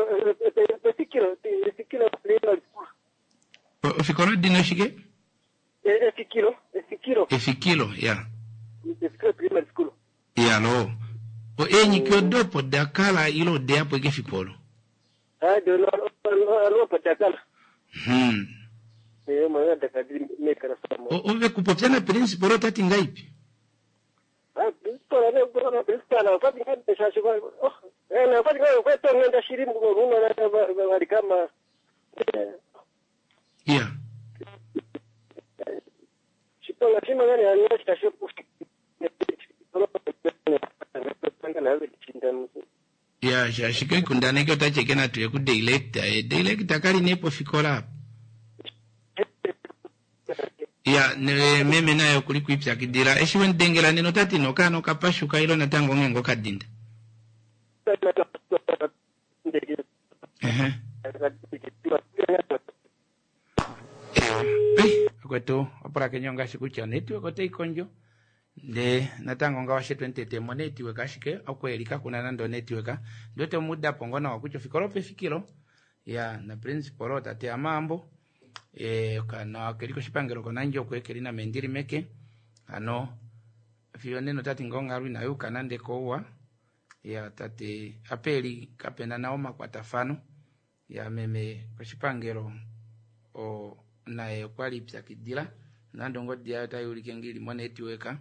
efikilo efikilo primary school. Ofikolo dino shike? Efikilo, efikilo. Efikilo, ya. Efikilo primary school. Ya lo. O enyiki odopo dakala ilo odeyapo ike fikolo. Ah, do lo lo dakala. Hmm. Eh, mwana dakadiri mekara samo. Ove kupopya na principal otati ngaipi? Ah, principal ne bora principal afati ngende shashi kwa oh, eh na afati kwa kwa to ngenda shiri mgo na bali kama Yeah. Shiponga shima gani anyosha shopu. Ya, shashike kundaneke otacheke na tuye ku director. Eh, director kali nepo fikola. Ya, ne, meme nayo kuli kuipyakidira. Eshi wendengela neno tati nokano kapashuka ilo natango ngengo kadinda. Ehe. Eh, kwetu opora kenyonga shikucha network ote ikonjo. Nde natango nga washe twentete mo network ashike okwelika kuna nando network. Ndote muda pongona wakucho fikolo pe fikilo. Ya, na principal tate amambo. E, kana keliko shipangelo konanjo kwekeli na mendiri meke ano fiyo neno tati ngonga lwi nayo kanande kowa ya tate apeli kapena naoma kwa tafano ya meme koshipangelo o naye kwali pyakidila nando ngodi yayo tayulike ngili mo network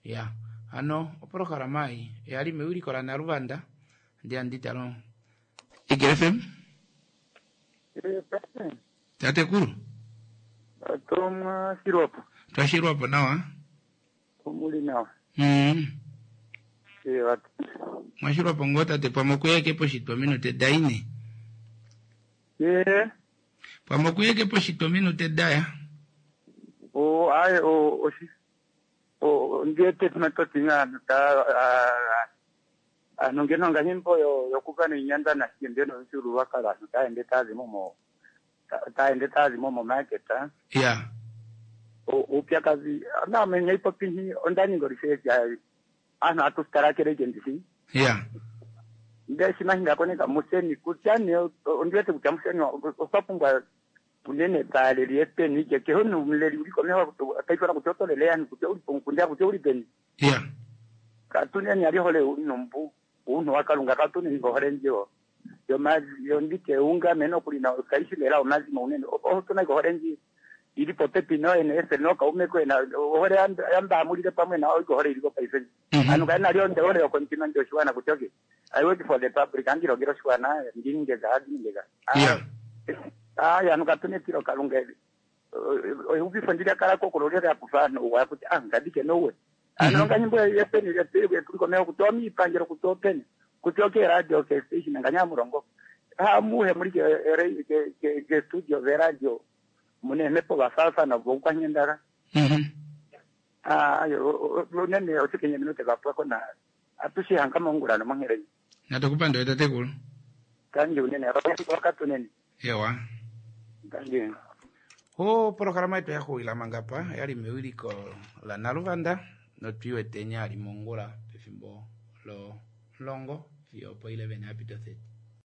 ya ano oprogram ai yali mewili kola na Rwanda ndi anditalo Eagle F M Tate kuru? Tomwa shirwapo. Twashirwapo nawa? Omuli nawa. Mm. E watu. Mwashirwapo ngota te pamokuyeke po shitwa minute daine. E. Pamokuyeke po shitwa minute daya. O ai o o shi. O ndiete tunatotinga ta a nongeno nganyimbo yo yokukana inyanda na shindeno shuru wakala taende tazi momo. Taende tazi momo market. Yeah. O upyakazi na menye ipopi ondani ngorishe ya ana atustarakere jendisi. Yeah. Ndesi mahinga koneka museni kutyani ondiwete kutya museni osapungwa unene tale liepeni ke ke honu mleli uliko mewa kaitwa kutotolele yani kutya ulipo kutya ulipeni. Yeah. Katuneni alihole unombu uno wakalunga katuneni ngohole njo. Yo mazi yo ndike unga meno kulina kaishi lela omazi maunene otuna gohorenji iri popepi no ene ese no kaume kwena ohore yamba amulire pamwe na gohore iriko paise anu kana lyo ndore yo continue ndio shwana kutoke I work for the public andiro gero shwana ndinge ga ndinge ga yeah ah ya nukatune tiro kalunga o ubifundira kala kokololera kufano wa kuti ah ngadike nowe anu nganyimbo yepeni yepeni kuliko meo kutomi ipangiro kutopeni kutoke radio ke station nganyamurongo ha muhe muri ke ke ke studio ve radio Muna eemhepo vafaafana voukwanyendaga. Ah, ayo, unene otikenye minute vapwako na atushihanga mongula nomongheleni. Natukupandule tatekulu. Tangi unene, wakatunene. Ewa. Tangi. O programa yetu yaxuwila mangapa yali mewiliko la Naluvanda notwiwete ali mongula pefimbo lo longo fiyo opo eleven yapita thirty.